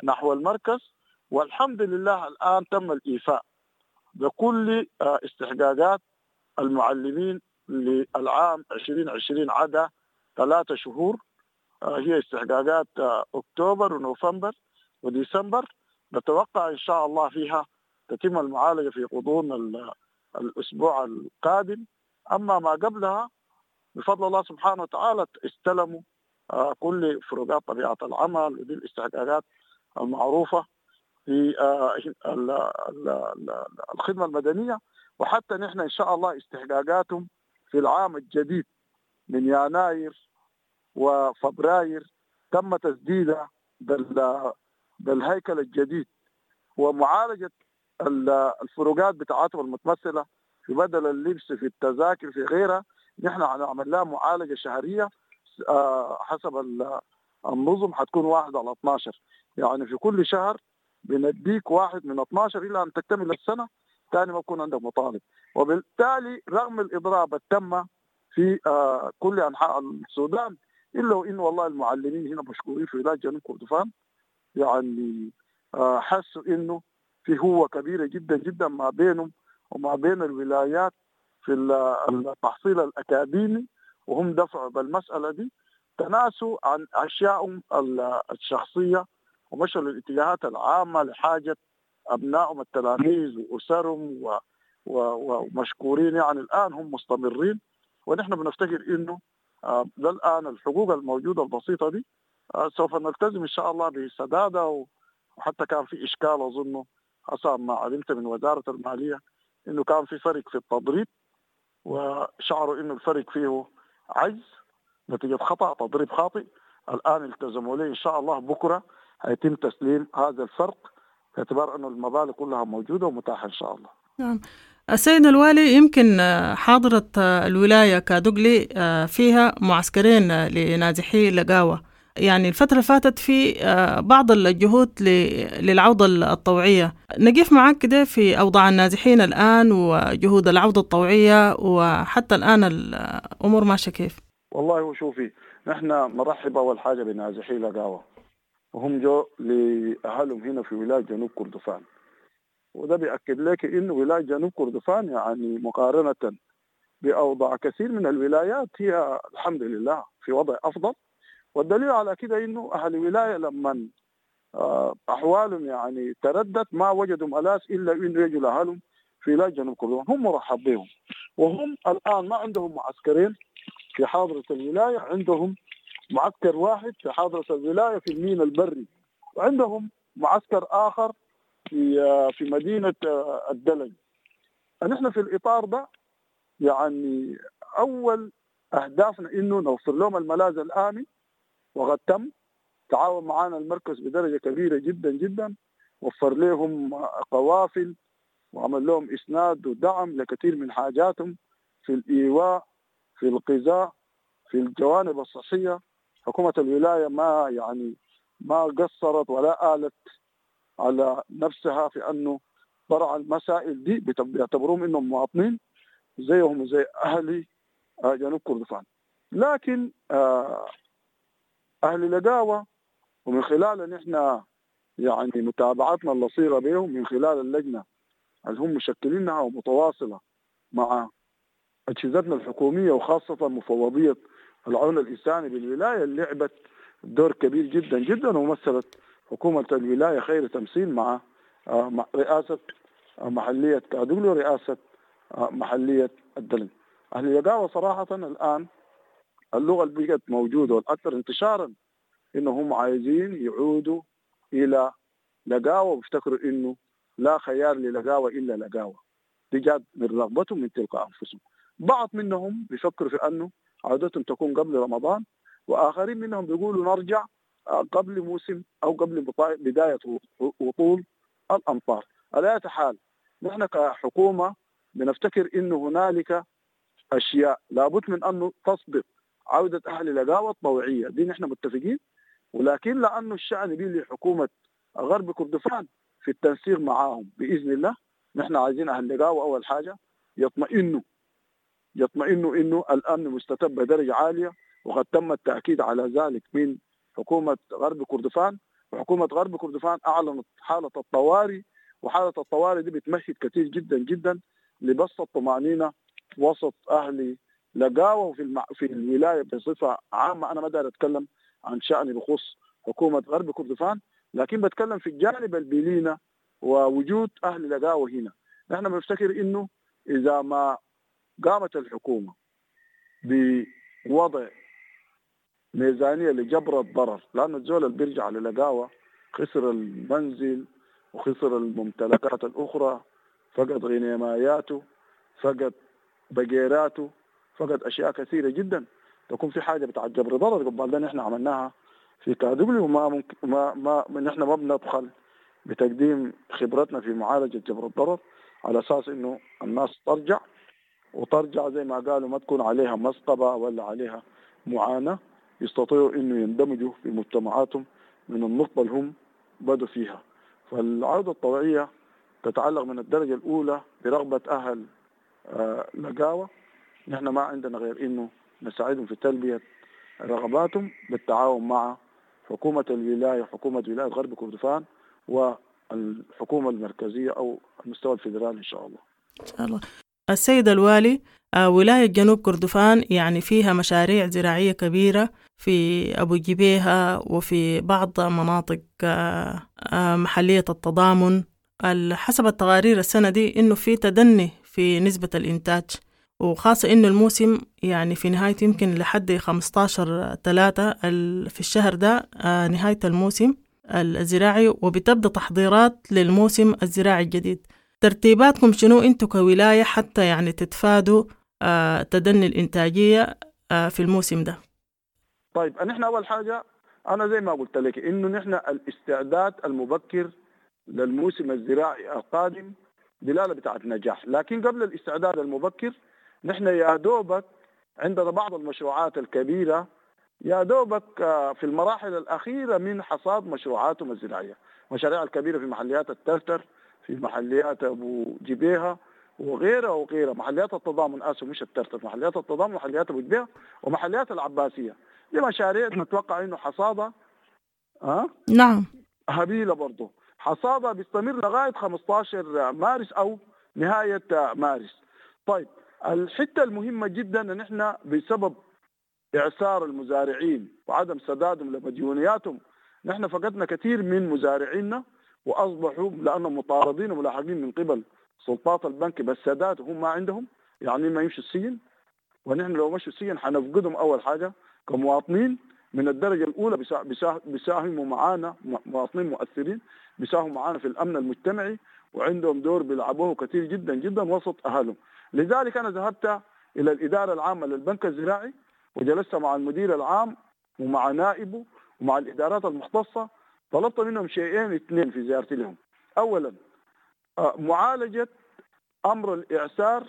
نحو المركز. والحمد لله الآن تم الإيفاء بكل استحقاقات المعلمين للعام 2020 عدا 3 شهور، هي استحقاقات أكتوبر ونوفمبر وديسمبر. نتوقع إن شاء الله فيها تتم المعالجة في غضون الأسبوع القادم. أما ما قبلها بفضل الله سبحانه وتعالى استلموا كل فروقات طبيعة العمل ودي الاستحقاقات المعروفة في الخدمة المدنية. وحتى نحن إن شاء الله استحقاقاتهم في العام الجديد من يناير وفبراير تم تسديدها بالهيكل الجديد، ومعالجة الفروقات بتاعتهم المتمثلة في بدل اللبس، في التذاكر، في غيرها. نحن هنعمل لها معالجة شهرية حسب النظم حتكون 1/12، يعني في كل شهر بنديك 1 من 12 إلى أن تكتمل السنة، ثاني ما بكون عندك مطالب. وبالتالي رغم الإضراب التم في كل أنحاء السودان، إلا وإنه والله المعلمين هنا مشكورين في ولاية جنوب كردفان، يعني حسوا إنه في هوة كبيرة جدا جدا ما بينهم وما بين الولايات في التحصيل الأكاديمي، وهم دفعوا بالمسألة دي، تناسوا عن أشيائهم الشخصية ومشوا للاتجاهات العامة لحاجة أبنائهم التلاميذ وأسرهم ومشكورين. يعني الآن هم مستمرين، ونحن بنفتكر إنه للآن الحقوق الموجودة البسيطة دي سوف نلتزم إن شاء الله بسدادة. وحتى كان في إشكال أظنه حسب ما علمت من وزارة المالية إنه كان في فرق في التضريب، وشعروا إنه الفرق فيه عجز نتيجة خطأ تضريب خاطئ. الآن التزموا لي إن شاء الله بكرة هيتم تسليم هذا الفرق باعتبار أنه المبالغ كلها موجودة ومتاحة إن شاء الله. نعم. السيد الوالي، يمكن حاضرة الولاية كادوغلي فيها معسكرين لنازحي لقاوة، يعني الفترة فاتت في بعض الجهود للعودة الطوعية. نقف معك كده في أوضاع النازحين الآن وجهود العودة الطوعية، وحتى الآن الأمور ماشية كيف؟ والله وشوفي، نحن نرحب أول حاجة بنازحي لقاوة، وهم جو لأهلهم هنا في ولاية جنوب كردفان، وده بيأكد لك إنه ولاية جنوب كردفان يعني مقارنة بأوضاع كثير من الولايات هي الحمد لله في وضع أفضل. والدليل على كده إنه أهل الولاية لما أحوالهم يعني تردت ما وجدوا ملاذ إلا إنه يجوا لأهلهم في ولاية جنوب كردفان، هم مرحب بهم. وهم الآن ما عندهم معسكرين في حاضرة الولاية، عندهم معسكر واحد في حاضرة الولاية في الميناء البري، وعندهم معسكر آخر في مدينة الدلج. نحن في الإطار ده يعني أول أهدافنا إنه نوفر لهم الملاذ الآمن، وقد تم تعاون معنا المركز بدرجة كبيرة جدا جدا، وفر لهم قوافل وعمل لهم إسناد ودعم لكثير من حاجاتهم في الإيواء، في الغذاء، في الجوانب الصحية. حكومة الولاية ما قصرت ولا آلت على نفسها في أنه برع المسائل دي، بيعتبروهم إنهم مواطنين زيهم زي أهلي جنوب كردفان. لكن أهل لقاوة ومن خلال نحن يعني متابعتنا اللصيقة بهم من خلال اللجنة اللي هم مشكلينها ومتواصلة مع أجهزتنا الحكومية وخاصة مفوضية العون الإنساني بالولاية، اللي لعبت دور كبير جدا جدا ومثلت حكومة الولاية خير تمثيل مع رئاسة محلية كادوغلي ورئاسة محلية الدلنج. أهل لقاوة صراحة الآن اللغة اللي بقت موجودة والأكثر انتشارا إنهم عايزين يعودوا إلى لقاوة، وبيفتكروا إنه لا خيار للقاوة إلا لقاوة. دي جات من رغبتهم من تلقاء أنفسهم. بعض منهم بيفكروا في أنه عودتهم تكون قبل رمضان، وآخرين منهم بيقولوا نرجع قبل موسم أو قبل بداية وطول الأمطار. على أي حال نحن كحكومة بنفتكر إنه هنالك أشياء لابد من أنه تسبق عودة أهل لقاوة الطوعية، دي نحن متفقين، ولكن لأنه الشأن بيه لحكومة غرب كردفان في التنسيق معاهم بإذن الله. نحن عايزين أهل لقاوة أول حاجة يطمئنوا إنه الأمن مستتب بدرجة عالية، وقد تم التأكيد على ذلك من حكومة غرب كردفان. وحكومة غرب كردفان أعلنت حالة الطوارئ، وحالة الطوارئ دي بتمهد كثير جدا جدا لبسط الطمأنينة وسط أهل لقاوة وفي في الولاية بصفة عامة. أنا ما دار أتكلم عن شأن بخصوص حكومة غرب كردفان، لكن بتكلم في الجانب البيلينا ووجود أهل لقاوة هنا. نحن بنفتكر إنه إذا ما قامت الحكومة بوضع ميزانية لجبر الضرر، لأن الزول اللي بيرجع للقاوة خسر المنزل وخسر الممتلكات الأخرى، فقد غنيماياته، فقد بقيراته، فقد أشياء كثيرة جدا. تكون في حاجة بتاع جبر ضرر قبل ده نحن عملناها في كادوغلي، وما ممكن ما نحن ما بنبخل بتقديم خبرتنا في معالجة جبر الضرر على أساس إنه الناس ترجع، وترجع زي ما قالوا ما تكون عليها مسقبة ولا عليها معاناة. يستطيعوا انه يندمجوا في مجتمعاتهم من النقطة اللي هم بدوا فيها. فالعودة الطوعية تتعلق من الدرجة الأولى برغبة أهل لقاوة. نحن ما عندنا غير إنه نساعدهم في تلبية رغباتهم بالتعاون مع حكومة الولاية، حكومة ولاية غرب كردفان، والحكومة المركزية أو المستوى الفيدرالي إن شاء الله. إن شاء الله. السيد الوالي، ولاية جنوب كردفان يعني فيها مشاريع زراعية كبيرة في أبو جبيهة وفي بعض مناطق محلية التضامن. حسب التقارير السنة دي إنه في تدني في نسبة الإنتاج، وخاصة إنه الموسم يعني في نهاية يمكن لحد 15/3 في الشهر ده نهاية الموسم الزراعي، وبتبدأ تحضيرات للموسم الزراعي الجديد. ترتيباتكم شنو انتو كولاية حتى يعني تتفادوا تدني الإنتاجية في الموسم ده؟ طيب، نحن أول حاجة أنا زي ما قلت لك إنه نحن الاستعداد المبكر للموسم الزراعي القادم دلالة بتاعت نجاح، لكن قبل الاستعداد المبكر نحن يا دوبك عندنا بعض المشروعات الكبيرة يا دوبك في المراحل الأخيرة من حصاد مشروعاتهم الزراعية، مشاريع الكبيرة في محليات الترتر، في محليات أبو جبيهة وغيرها وغيرها، محليات التضامن، آسف مش الترتر، محليات التضامن، محليات أبو جبيهة ومحليات العباسية. دي مشاريع نتوقع إنه حصادها نعم هبيلة برضه، حصادها بيستمر لغاية 15 مارس أو نهاية مارس. طيب، الحتة المهمة جدا إن إحنا بسبب إعسار المزارعين وعدم سدادهم لمديونياتهم نحن فقدنا كثير من مزارعينا، وأصبحوا لأنهم مطاردين وملاحقين من قبل سلطات البنك بالسداد وهم ما عندهم، يعني ما يمشوا السجن، ونحن لو مشوا السجن حنفقدهم أول حاجة كمواطنين من الدرجة الأولى، بيساهموا معانا، مواطنين مؤثرين بيساهموا معانا في الأمن المجتمعي وعندهم دور بيلعبوه كثير جدا جدا وسط أهلهم. لذلك أنا ذهبت إلى الإدارة العامة للبنك الزراعي وجلست مع المدير العام ومع نائبه ومع الإدارات المختصة، طلبت منهم شيئين اثنين في زيارتي لهم. أولا معالجة أمر الإعسار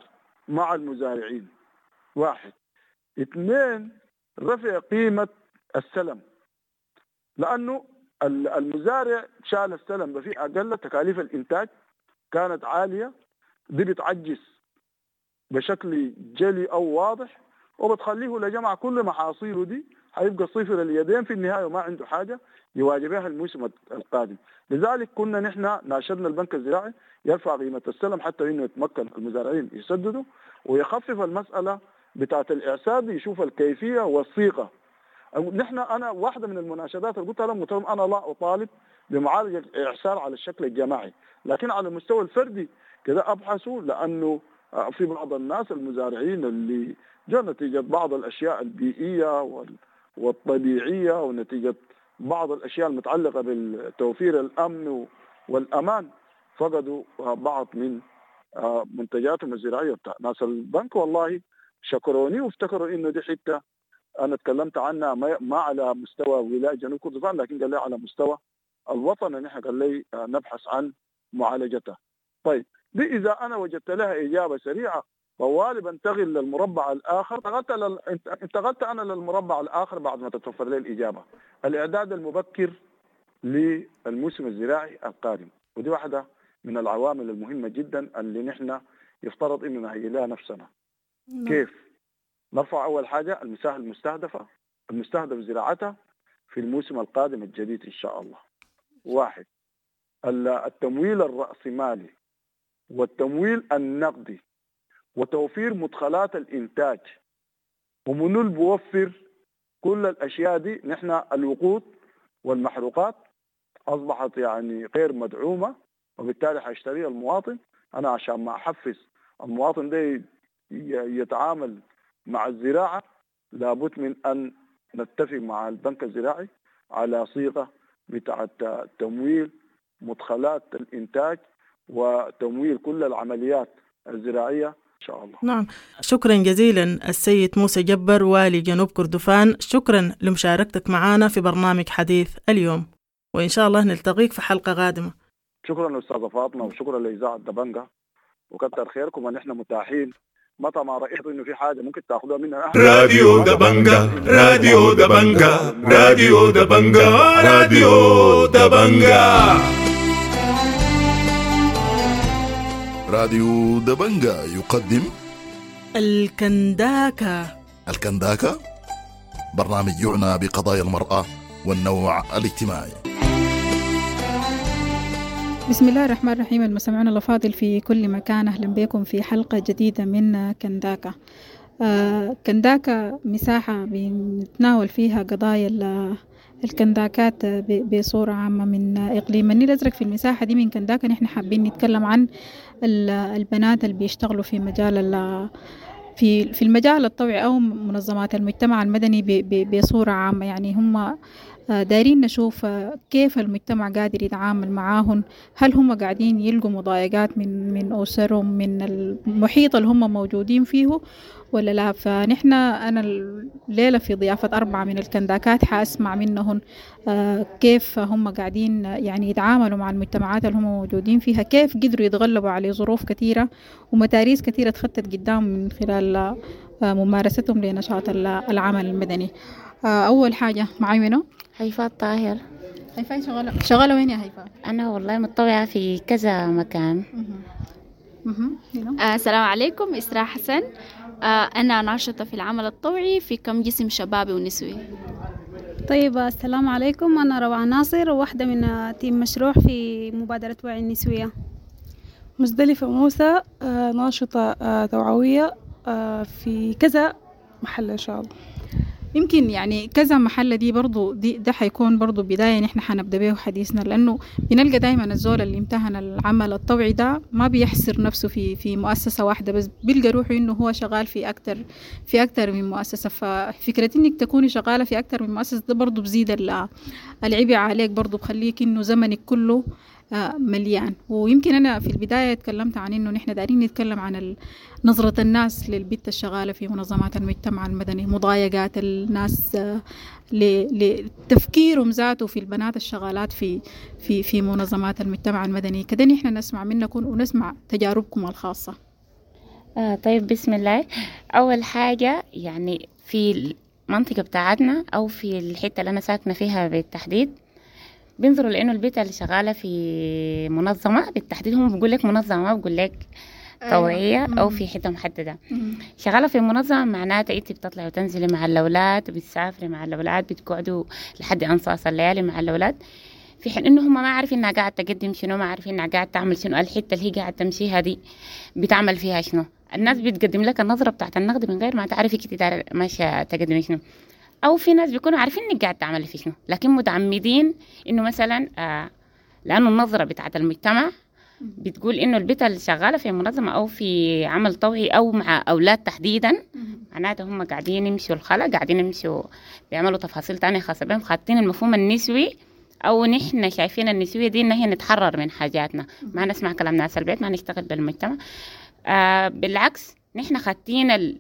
مع المزارعين، واحد. اثنين، رفع قيمة السلم، لأنه المزارع شال السلم بفي أقل، تكاليف الإنتاج كانت عالية، دي بتعجز بشكل جلي أو واضح وبتخليه لجمع كل محاصيله دي هيبقى صفر اليدين في النهاية وما عنده حاجة يواجه بها الموسم القادم. لذلك كنا نحن ناشدنا البنك الزراعي يرفع قيمة السلم حتى إنه يتمكن المزارعين يسددوا، ويخفف المسألة بتاعة الإعسار، يشوف الكيفية والصيغة. نحن أنا واحدة من المناشدات اللي قلتها لهم، أنا لا أطالب بمعالجة الإعسار على الشكل الجماعي، لكن على المستوى الفردي كذا أبحثوا، لأنه في بعض الناس المزارعين اللي جاء نتيجة بعض الأشياء البيئية والطبيعية ونتيجة بعض الأشياء المتعلقة بالتوفير الأمن والأمان فقدوا بعض من منتجاتهم الزراعية. ناس البنك والله شكروني وافتكروا إنه دي حتة أنا تكلمت عنها ما على مستوى ولاية جنوب كردفان، لكن قال لي على مستوى الوطن نحن قال لي نبحث عن معالجتها. طيب دي إذا أنا وجدت لها إجابة سريعة طوالي بنتقل للمربع الآخر. انتقلت أنا للمربع الآخر بعد ما تتوفر لي الإجابة، الإعداد المبكر للموسم الزراعي القادم، ودي واحدة من العوامل المهمة جدا اللي نحن يفترض إنه نهيئ لها نفسنا. كيف؟ نرفع أول حاجة المساحة المستهدفة المستهدف زراعتها في الموسم القادم الجديد إن شاء الله. واحد، التمويل الرأسمالي والتمويل النقدي وتوفير مدخلات الإنتاج، ومنو اللي بوفر كل الأشياء دي؟ نحن الوقود والمحروقات أصبحت يعني غير مدعومة، وبالتالي حيشتريها المواطن. أنا عشان ما أحفز المواطن ده يتعامل مع الزراعة لابد من أن نتفق مع البنك الزراعي على صيغة بتاعة تمويل مدخلات الإنتاج وتمويل كل العمليات الزراعية إن شاء الله. نعم، شكرا جزيلا السيد موسى جبر والي جنوب كردفان، شكرا لمشاركتك معنا في برنامج حديث اليوم، وإن شاء الله نلتقيك في حلقة قادمة. شكرا أستاذة فاطمة، وشكرا لإذاعة دبنجة، وكتر خيركم، ونحن متاحين متى ما رايت انه في حاجة ممكن تاخذوها مننا. راديو دبنجا، راديو دبنجا، راديو دبنجا، راديو دبنجا. راديو دبنجا يقدم الكنداكة. الكنداكة برنامج يعنى بقضايا المرأة والنوع الاجتماعي. بسم الله الرحمن الرحيم. المستمعون الأفاضل في كل مكان، أهلا بكم في حلقة جديدة من كنداكة. كنداكة مساحة بنتناول فيها قضايا الكنداكات بصورة عامة من إقليم النيل الأزرق. في المساحة دي من كنداكة نحن حابين نتكلم عن البنات اللي بيشتغلوا في مجال في المجال الطوعي أو منظمات المجتمع المدني بصورة عامة. يعني هم دايرين نشوف كيف المجتمع قادر يتعامل معاهن، هل هم قاعدين يلقوا مضايقات من أسرهم، من المحيط اللي هم موجودين فيه ولا لا. فنحن أنا الليلة في ضيافة 4 من الكنداكات حأسمع منهن كيف هم قاعدين يعني يتعاملوا مع المجتمعات اللي هم موجودين فيها، كيف قدروا يتغلبوا على ظروف كثيرة ومتاريس كثيرة تخطت قدام من خلال ممارستهم لنشاط العمل المدني. أول حاجة معي منو؟ هيفاء الطاهر. هيفاء شغالة وين يا هيفاء؟ أنا والله متطوعة في كذا مكان. السلام عليكم، إسراء حسن. أنا ناشطة في العمل الطوعي في كم جسم شبابي ونسوي. طيب السلام عليكم، أنا روعة ناصر، وواحدة من تيم مشروع في مبادرة وعي النسوية. مزدلفة موسى، ناشطة توعوية في كذا محل إن شاء الله. يمكن يعني كذا محل دي برضو ده حيكون برضو بداية نحن حنبدأ به حديثنا، لأنه بنلقى دايما الزول اللي امتهن العمل الطوعي ده ما بيحصر نفسه في مؤسسة واحدة بس، بيلقى روحه إنه هو شغال في أكتر من مؤسسة. ففكرة إنك تكوني شغالة في أكتر من مؤسسة ده برضو بزيد العبء عليك، برضو بخليك إنه زمنك كله مليان. ويمكن أنا في البداية تكلمت عن إنه نحن دارين نتكلم عن نظرة الناس للبت الشغالة في منظمات المجتمع المدني، مضايقات الناس لتفكيرهم ذاته في البنات الشغالات في في في منظمات المجتمع المدني. كده نحن نسمع منكم ونسمع تجاربكم الخاصة. طيب بسم الله. أول حاجة يعني في المنطقة بتاعتنا أو في الحتة اللي أنا ساكنة فيها بالتحديد بينظروا لأنه البيت اللي شغالة في منظمة بالتحديد، هم بيقول لك منظمة ما بيقول لك طوعية أو في حتة محددة. شغالة في منظمة معناتها أنت بتطلعي وتنزلي مع الأولاد، بتسافري مع الأولاد، بتقعدوا لحد أنصاص الليالي مع الأولاد، في حين إنه هم ما عارفين إنها قاعدة تقدم شنو، ما عارفين إنها قاعدة تعمل شنو، الحتة اللي هي قاعدة تمشيها دي بتعمل فيها شنو. الناس بتقدم لك النظرة بتاعت النقد من غير ما تعرفي كنت ماشية تقدمي شنو. أو في ناس بيكونوا عارفين إنك قاعد تعمل في شنو، لكن متعمدين إنه مثلا لأنه النظرة بتاعت المجتمع بتقول إنه البيت اللي شغالة في منظمة أو في عمل طوعي أو مع أولاد تحديدا معناته هم قاعدين يمشوا الخلا، قاعدين يمشوا بيعملوا تفاصيل تانية خاصة بهم، خاطين المفهوم النسوي أو نحن شايفين النسوية دي إن هي نتحرر من حاجاتنا، ما نسمع كلام ناس البيت، ما نشتغل بالمجتمع. بالعكس نحن خاطين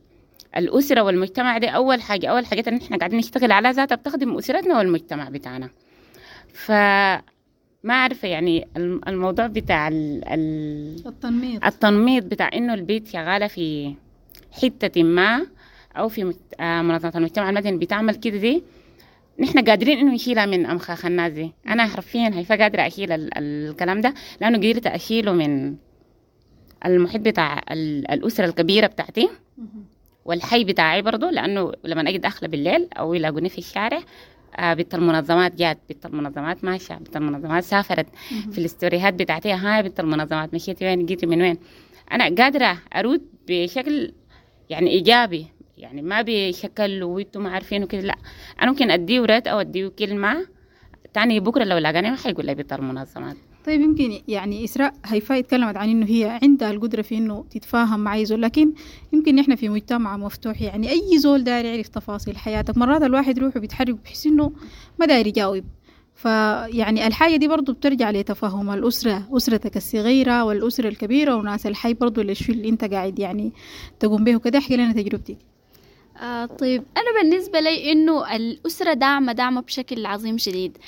الأسرة والمجتمع دي أول حاجة، أول حاجة إن إحنا قاعدين نشتغل على ذاتها بتخدم أسرتنا والمجتمع بتاعنا. فما عارفة يعني الموضوع بتاع التنميط بتاع إنه البيت شغالة في حتة ما أو في منظمة المجتمع المدني بتعمل كده، دي نحن قادرين إنه نشيلها من أمخاخ الناس دي. أنا حرفيا هيفا قادرة أشيل الكلام ده لأنه قدرت أشيله من المحيط بتاع الأسرة الكبيرة بتاعتي والحي بتاعي برضو، لأنه لما أجي داخلة بالليل أو يلاقوني في الشارع بنت المنظمات جات، بنت المنظمات ماشية، بنت المنظمات سافرت، في الاستوريهات بتاعتي هاي بنت المنظمات مشيتي وين، جيتي من وين. أنا قادرة أرد بشكل يعني إيجابي، يعني ما بشكل وانتم ما عارفين وكده، لا أنا ممكن أديه رد أو أديه كلمة تاني بكرة لو لاقاني ما حيقول لي بنت المنظمات. طيب يمكن يعني إسراء هيفاء اتكلمت عن إنه هي عندها القدرة في إنه تتفاهم مع أي زول، لكن يمكن إحنا في مجتمع مفتوح، يعني أي زول داير يعرف تفاصيل حياتك. مرات الواحد روحه بيتحرك بحس إنه ما داير يجاوب، فيعني الحاجة دي برضو بترجع لتفاهم الأسرة، أسرتك الصغيرة والأسرة الكبيرة وناس الحي برضو للشيء اللي أنت قاعد يعني تقوم به وكده. احكي لنا تجربتك. طيب أنا بالنسبة لي إنه الأسرة داعمة بشكل عظيم شديد.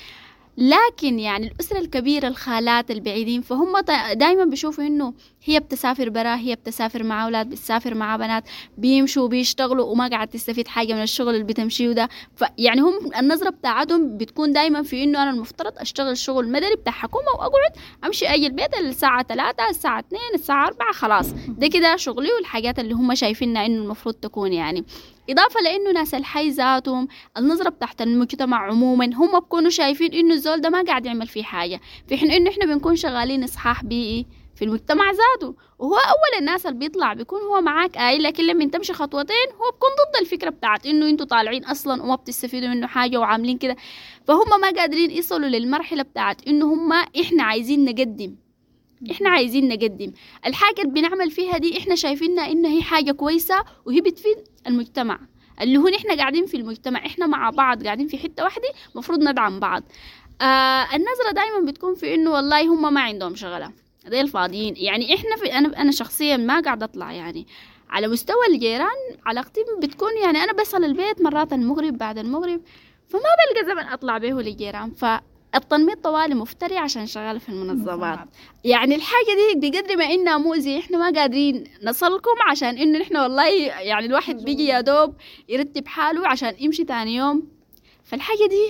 لكن يعني الأسرة الكبيرة، الخالات البعيدين، فهم دايما بيشوفوا إنه هي بتسافر برا، هي بتسافر مع أولاد، بتسافر مع بنات، بيمشوا وبيشتغلوا وما قاعد تستفيد حاجة من الشغل اللي بتمشيه ده. فيعني هم النظرة بتاعتهم بتكون دايما في إنه أنا المفترض أشتغل شغل مدني بتاع حكومة وأقعد أمشي أجي البيت الساعة 3 الساعة 2 الساعة 4، خلاص ده كده شغلي والحاجات اللي هم شايفينها إنه المفروض تكون. يعني إضافة لأنه ناس الحي ذاتهم، النظرة بتاعت المجتمع عموما، هم بكونوا شايفين إنه الزول ده ما قاعد يعمل فيه حاجة، في حين إنه إحنا بنكون شغالين إصحاح بيئي في المجتمع ذاته، وهو أول الناس اللي بيطلع بيكون هو معاك آي، لكن لما تمشي خطوتين هو بيكون ضد الفكرة بتاعت إنه انتوا طالعين أصلا وما بتستفيدوا منه حاجة وعاملين كده. فهم ما قادرين يصلوا للمرحلة بتاعت إنه هم إحنا عايزين نقدم، إحنا عايزين نقدم الحاجة اللي بنعمل فيها دي، إحنا شايفينها إنها هي حاجة كويسة وهي بتفيد المجتمع، اللي هو إحنا قاعدين في المجتمع، إحنا مع بعض قاعدين في حتة واحدة، مفروض ندعم بعض. النظرة دايما بتكون في إنه والله هم ما عندهم شغلة، ديل الفاضيين. يعني إحنا في أنا شخصيا ما قاعدة أطلع، يعني على مستوى الجيران علاقتي بتكون يعني أنا بصل البيت مرات المغرب بعد المغرب، فما بلقى زمن أطلع به للجيران. فالتنميط طوالي مفتري عشان شغالة في المنظمات. يعني الحاجة دي بقدر ما إنها مؤذية إحنا ما قادرين نصلكم، عشان إنه إحنا والله يعني الواحد بيجي يا دوب يرتب حاله عشان يمشي تاني يوم. فالحاجة دي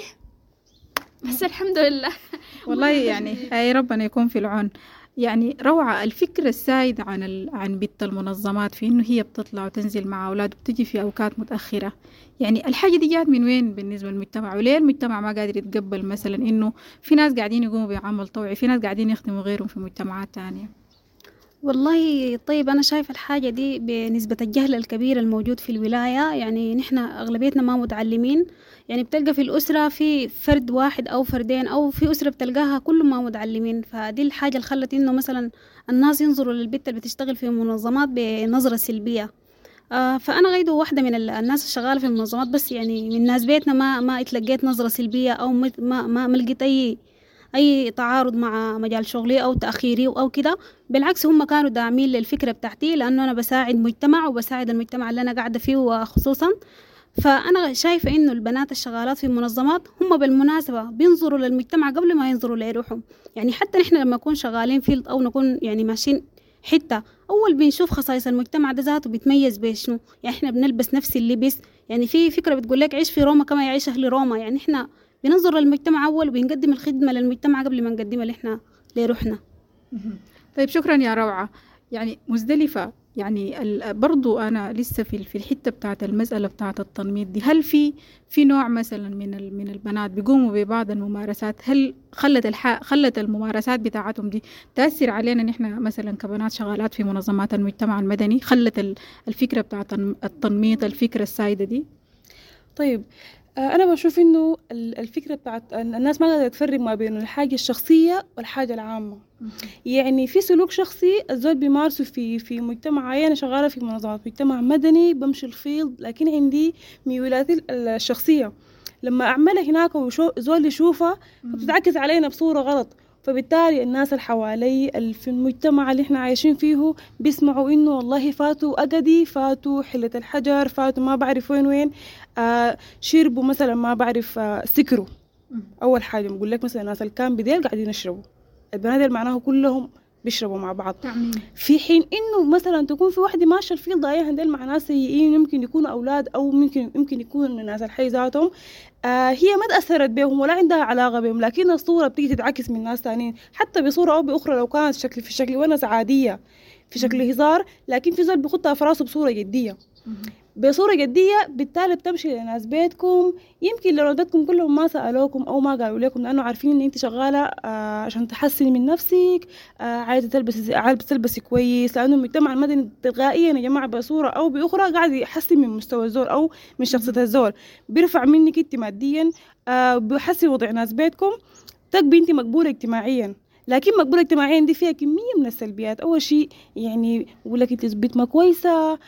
بس الحمد لله والله يعني أي ربنا يكون في العون. يعني روعة الفكرة السائدة عن بنت المنظمات في إنه هي بتطلع وتنزل مع أولاد وبتجي في أوقات متأخرة. يعني الحاجة دي جات من وين بالنسبة للمجتمع؟ وليه المجتمع ما قادر يتقبل مثلا إنه في ناس قاعدين يقوموا بعمل طوعي، في ناس قاعدين يخدموا غيرهم في مجتمعات تانية؟ والله طيب أنا شايفة الحاجة دي بنسبة الجهل الكبير الموجود في الولاية. يعني نحن أغلبيتنا ما متعلمين، يعني بتلقى في الأسرة في فرد واحد أو فردين، أو في أسرة بتلقاها كلهم ما متعلمين. فدي الحاجة اللي خلت إنه مثلا الناس ينظروا للبت اللي بتشتغل في منظمات بنظرة سلبية. فأنا غيدو واحدة من الناس الشغالة في المنظمات، بس يعني من ناس بيتنا ما اتلقيت نظرة سلبية أو ما لقيت أي تعارض مع مجال شغلي أو تأخيري أو كده. بالعكس هم كانوا داعمين للفكرة بتاعتي، لأنه أنا بساعد مجتمع وبساعد المجتمع اللي أنا قاعدة فيه وخصوصا. فأنا شايفة إنه البنات الشغالات في المنظمات هم بالمناسبة بينظروا للمجتمع قبل ما ينظروا لروحهم. يعني حتى نحن لما نكون شغالين field أو نكون يعني ماشيين حتة، أول بنشوف خصائص المجتمع ده ذاته بيتميز بشنو. يعني إحنا بنلبس نفس اللبس، يعني في فكرة بتقول لك عيش في روما كما يعيش أهل روما. يعني إحنا بننظر للمجتمع أول وبنقدم الخدمة للمجتمع قبل ما نقدمها اللي إحنا لروحنا. طيب شكرا يا روعة. يعني مزدلفة، يعني برضو أنا لسه في الحتة بتاعت المسألة بتاعت التنميط دي، هل في نوع مثلا من البنات بيقوموا ببعض الممارسات، هل خلت الممارسات بتاعتهم دي تأثر علينا نحن مثلا كبنات شغالات في منظمات المجتمع المدني؟ خلت الفكرة بتاعت التنميط، الفكرة السائدة دي؟ طيب أنا بشوف إنه الفكرة بتاعت الناس ما قادرة تفرق ما بين الحاجة الشخصية والحاجة العامة. يعني في سلوك شخصي الزول بيمارسه في مجتمع عين. أنا شغالة في منظمات مجتمع مدني، بمشي ال field، لكن عندي ميولاتي الشخصية لما أعملها هناك وزول يشوفها بتتعكس علينا بصورة غلط. فبالتالي الناس اللي حوالي في المجتمع اللي احنا عايشين فيه بيسمعوا انه والله فاتوا أقدي، فاتوا حلة الحجر، فاتوا ما بعرف وين شربوا مثلا ما بعرف سكروا. أول حاجة بقول لك مثلا الناس اللي كان بديل قاعدين يشربوا، البنات اللي معناه كلهم بيشربوا مع بعض. في حين انه مثلا تكون في واحده ماشيه ال field ضايعه ديل مع ناس سيئين، يمكن يكونوا اولاد او يمكن يكونوا الناس الحي ذاتهم، هي ما تاثرت بهم ولا عندها علاقه بهم، لكن الصوره بتيجي تتعكس من ناس ثانيين حتى بصوره او باخرى، لو كانت شكل في شكل ونس عاديه في شكل هزار، لكن في زول بيخطها في راسه بصوره جديه. بصورة جدية بالتالي بتمشي لناس بيتكم، يمكن لو بيتكم كلهم ما سألوكم أو ما قالوا لكم، لأنه عارفين إن أنت شغالة عشان تحسني من نفسك، عايزة تلبسي كويس، لأنه المجتمع المدني تلقائيا يا جماعة بصورة أو بأخرى قاعد يحسن من مستوى الزول أو من شخصية الزول، بيرفع منك أنت ماديا، بيحسن وضع ناس بيتكم، تبقي أنت مقبولة اجتماعيا. لكن مقبولة اجتماعيا دي فيها كمية من السلبيات. أول شيء يعني بقول لك أنت بيت ما كويسة،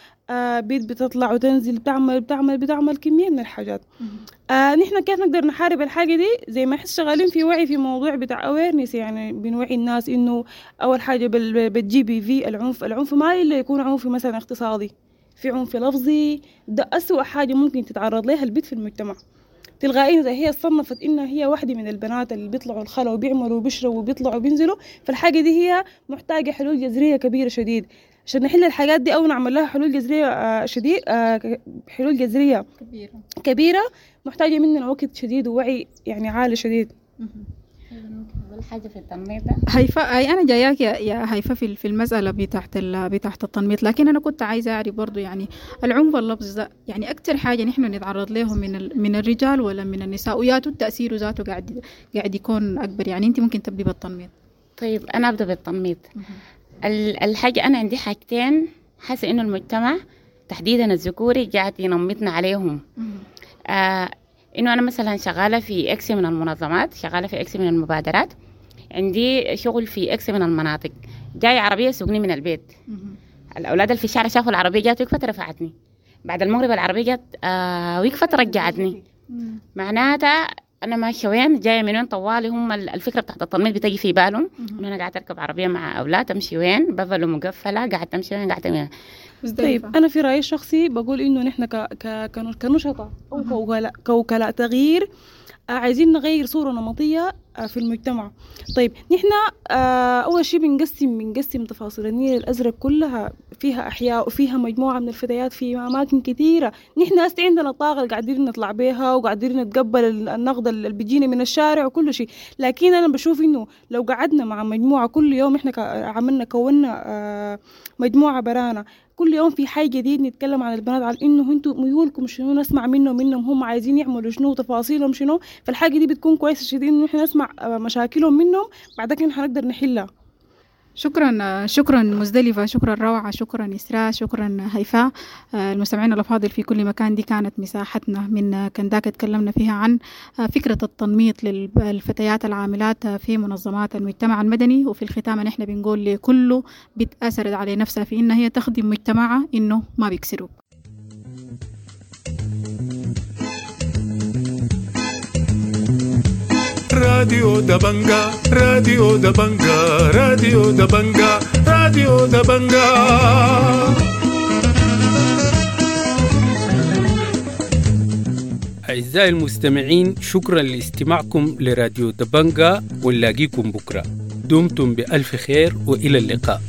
بيت بتطلع وتنزل بتعمل بتعمل بتعمل كمية من الحاجات. نحن كيف نقدر نحارب الحاجة دي؟ زي ما احنا شغالين في وعي في موضوع بتاع awareness، يعني بنوعي الناس إنه أول حاجة بال GBV العنف، ما إلا يكون عنف مثلا اقتصادي، في عنف لفظي، ده أسوأ حاجة ممكن تتعرض لها البيت في المجتمع. تلقائيا اذا هي صنفت انها هي واحدة من البنات اللي بيطلعوا الخلا وبيعملوا وبيشربوا وبيطلعوا وبينزلوا، فالحاجه دي هي محتاجه حلول جذرية كبيرة شديد عشان نحل الحاجات دي او نعمل لها حلول جذرية شديد، حلول جذرية كبيرة محتاجه مننا وقت شديد ووعي يعني عالي شديد. حاجة في التنميط ده هيفاء، أي أنا جاياك يا هيفاء في المسألة بتاعت التنميط، لكن أنا كنت عايزة أعرف برضو يعني العنف اللفظي ده يعني أكتر حاجة نحن نتعرض له من الرجال ولا من النساء، وياتو التأثير ذاته قاعد يكون أكبر. يعني أنت ممكن تبدي بالتنميط. طيب أنا أبدأ بالتنميط. الحاجة أنا عندي حاجتين حاسة إنه المجتمع تحديدا الذكوري قاعد ينمطنا عليهم. إنه أنا مثلا شغالة في X من المنظمات، شغالة في X من المبادرات، عندي شغل في X من المناطق، جاي عربية سوقني من البيت، الأولاد اللي في الشارع شافوا العربية جات وقفت رفعتني، بعد المغرب العربية جات وقفت رجعتني. معناتها أنا ماشية وين جاية من وين، طوالي هم الفكرة بتاعت التنميط بتجي في بالهم إنه أنا قاعدة أركب عربية مع أولاد، أمشي وين، بافلو مقفلة، قاعدة تمشي وين، قاعدة وين. طيب أنا في رأيي الشخصي بقول إنه نحن كنشطة أو كوكلاء تغيير عايزين نغير صورة نمطية في المجتمع. طيب نحن أول شيء بنقسم تفاصيل النيل الأزرق كلها، فيها أحياء وفيها مجموعة من الفتيات في أماكن كثيرة. نحن هسه عندنا طاقة اللي قاعدين نطلع بيها وقاعدين نتقبل النقد اللي بيجينا من الشارع وكل شيء، لكن أنا بشوف إنه لو قعدنا مع مجموعة كل يوم، إحنا عملنا كونا مجموعة برانا كل يوم في حي جديد نتكلم عن البنات، على انه انتوا ميولكم شنو، نسمع منهم هم عايزين يعملوا شنو وتفاصيلهم شنو. فالحاجه دي بتكون كويسة شديد انه احنا نسمع مشاكلهم منهم، بعد كده حنقدر نحلها. شكرا، شكرا مزدلفة، شكرا روعة، شكرا إسراء، شكرا هيفاء. المستمعين الأفاضل في كل مكان، دي كانت مساحتنا من كنداكا، تكلمنا فيها عن فكرة التنميط للفتيات العاملات في منظمات المجتمع المدني. وفي الختام نحن بنقول لكله بتأثرت على نفسها في إنها هي تخدم مجتمعها إنه ما بيكسروك. راديو دبنجا، راديو دبنجا، راديو دبنجا، راديو دبنجا. أعزائي المستمعين، شكرا لاستماعكم لراديو دبنجا، ونلاقيكم بكرة. دمتم بألف خير وإلى اللقاء.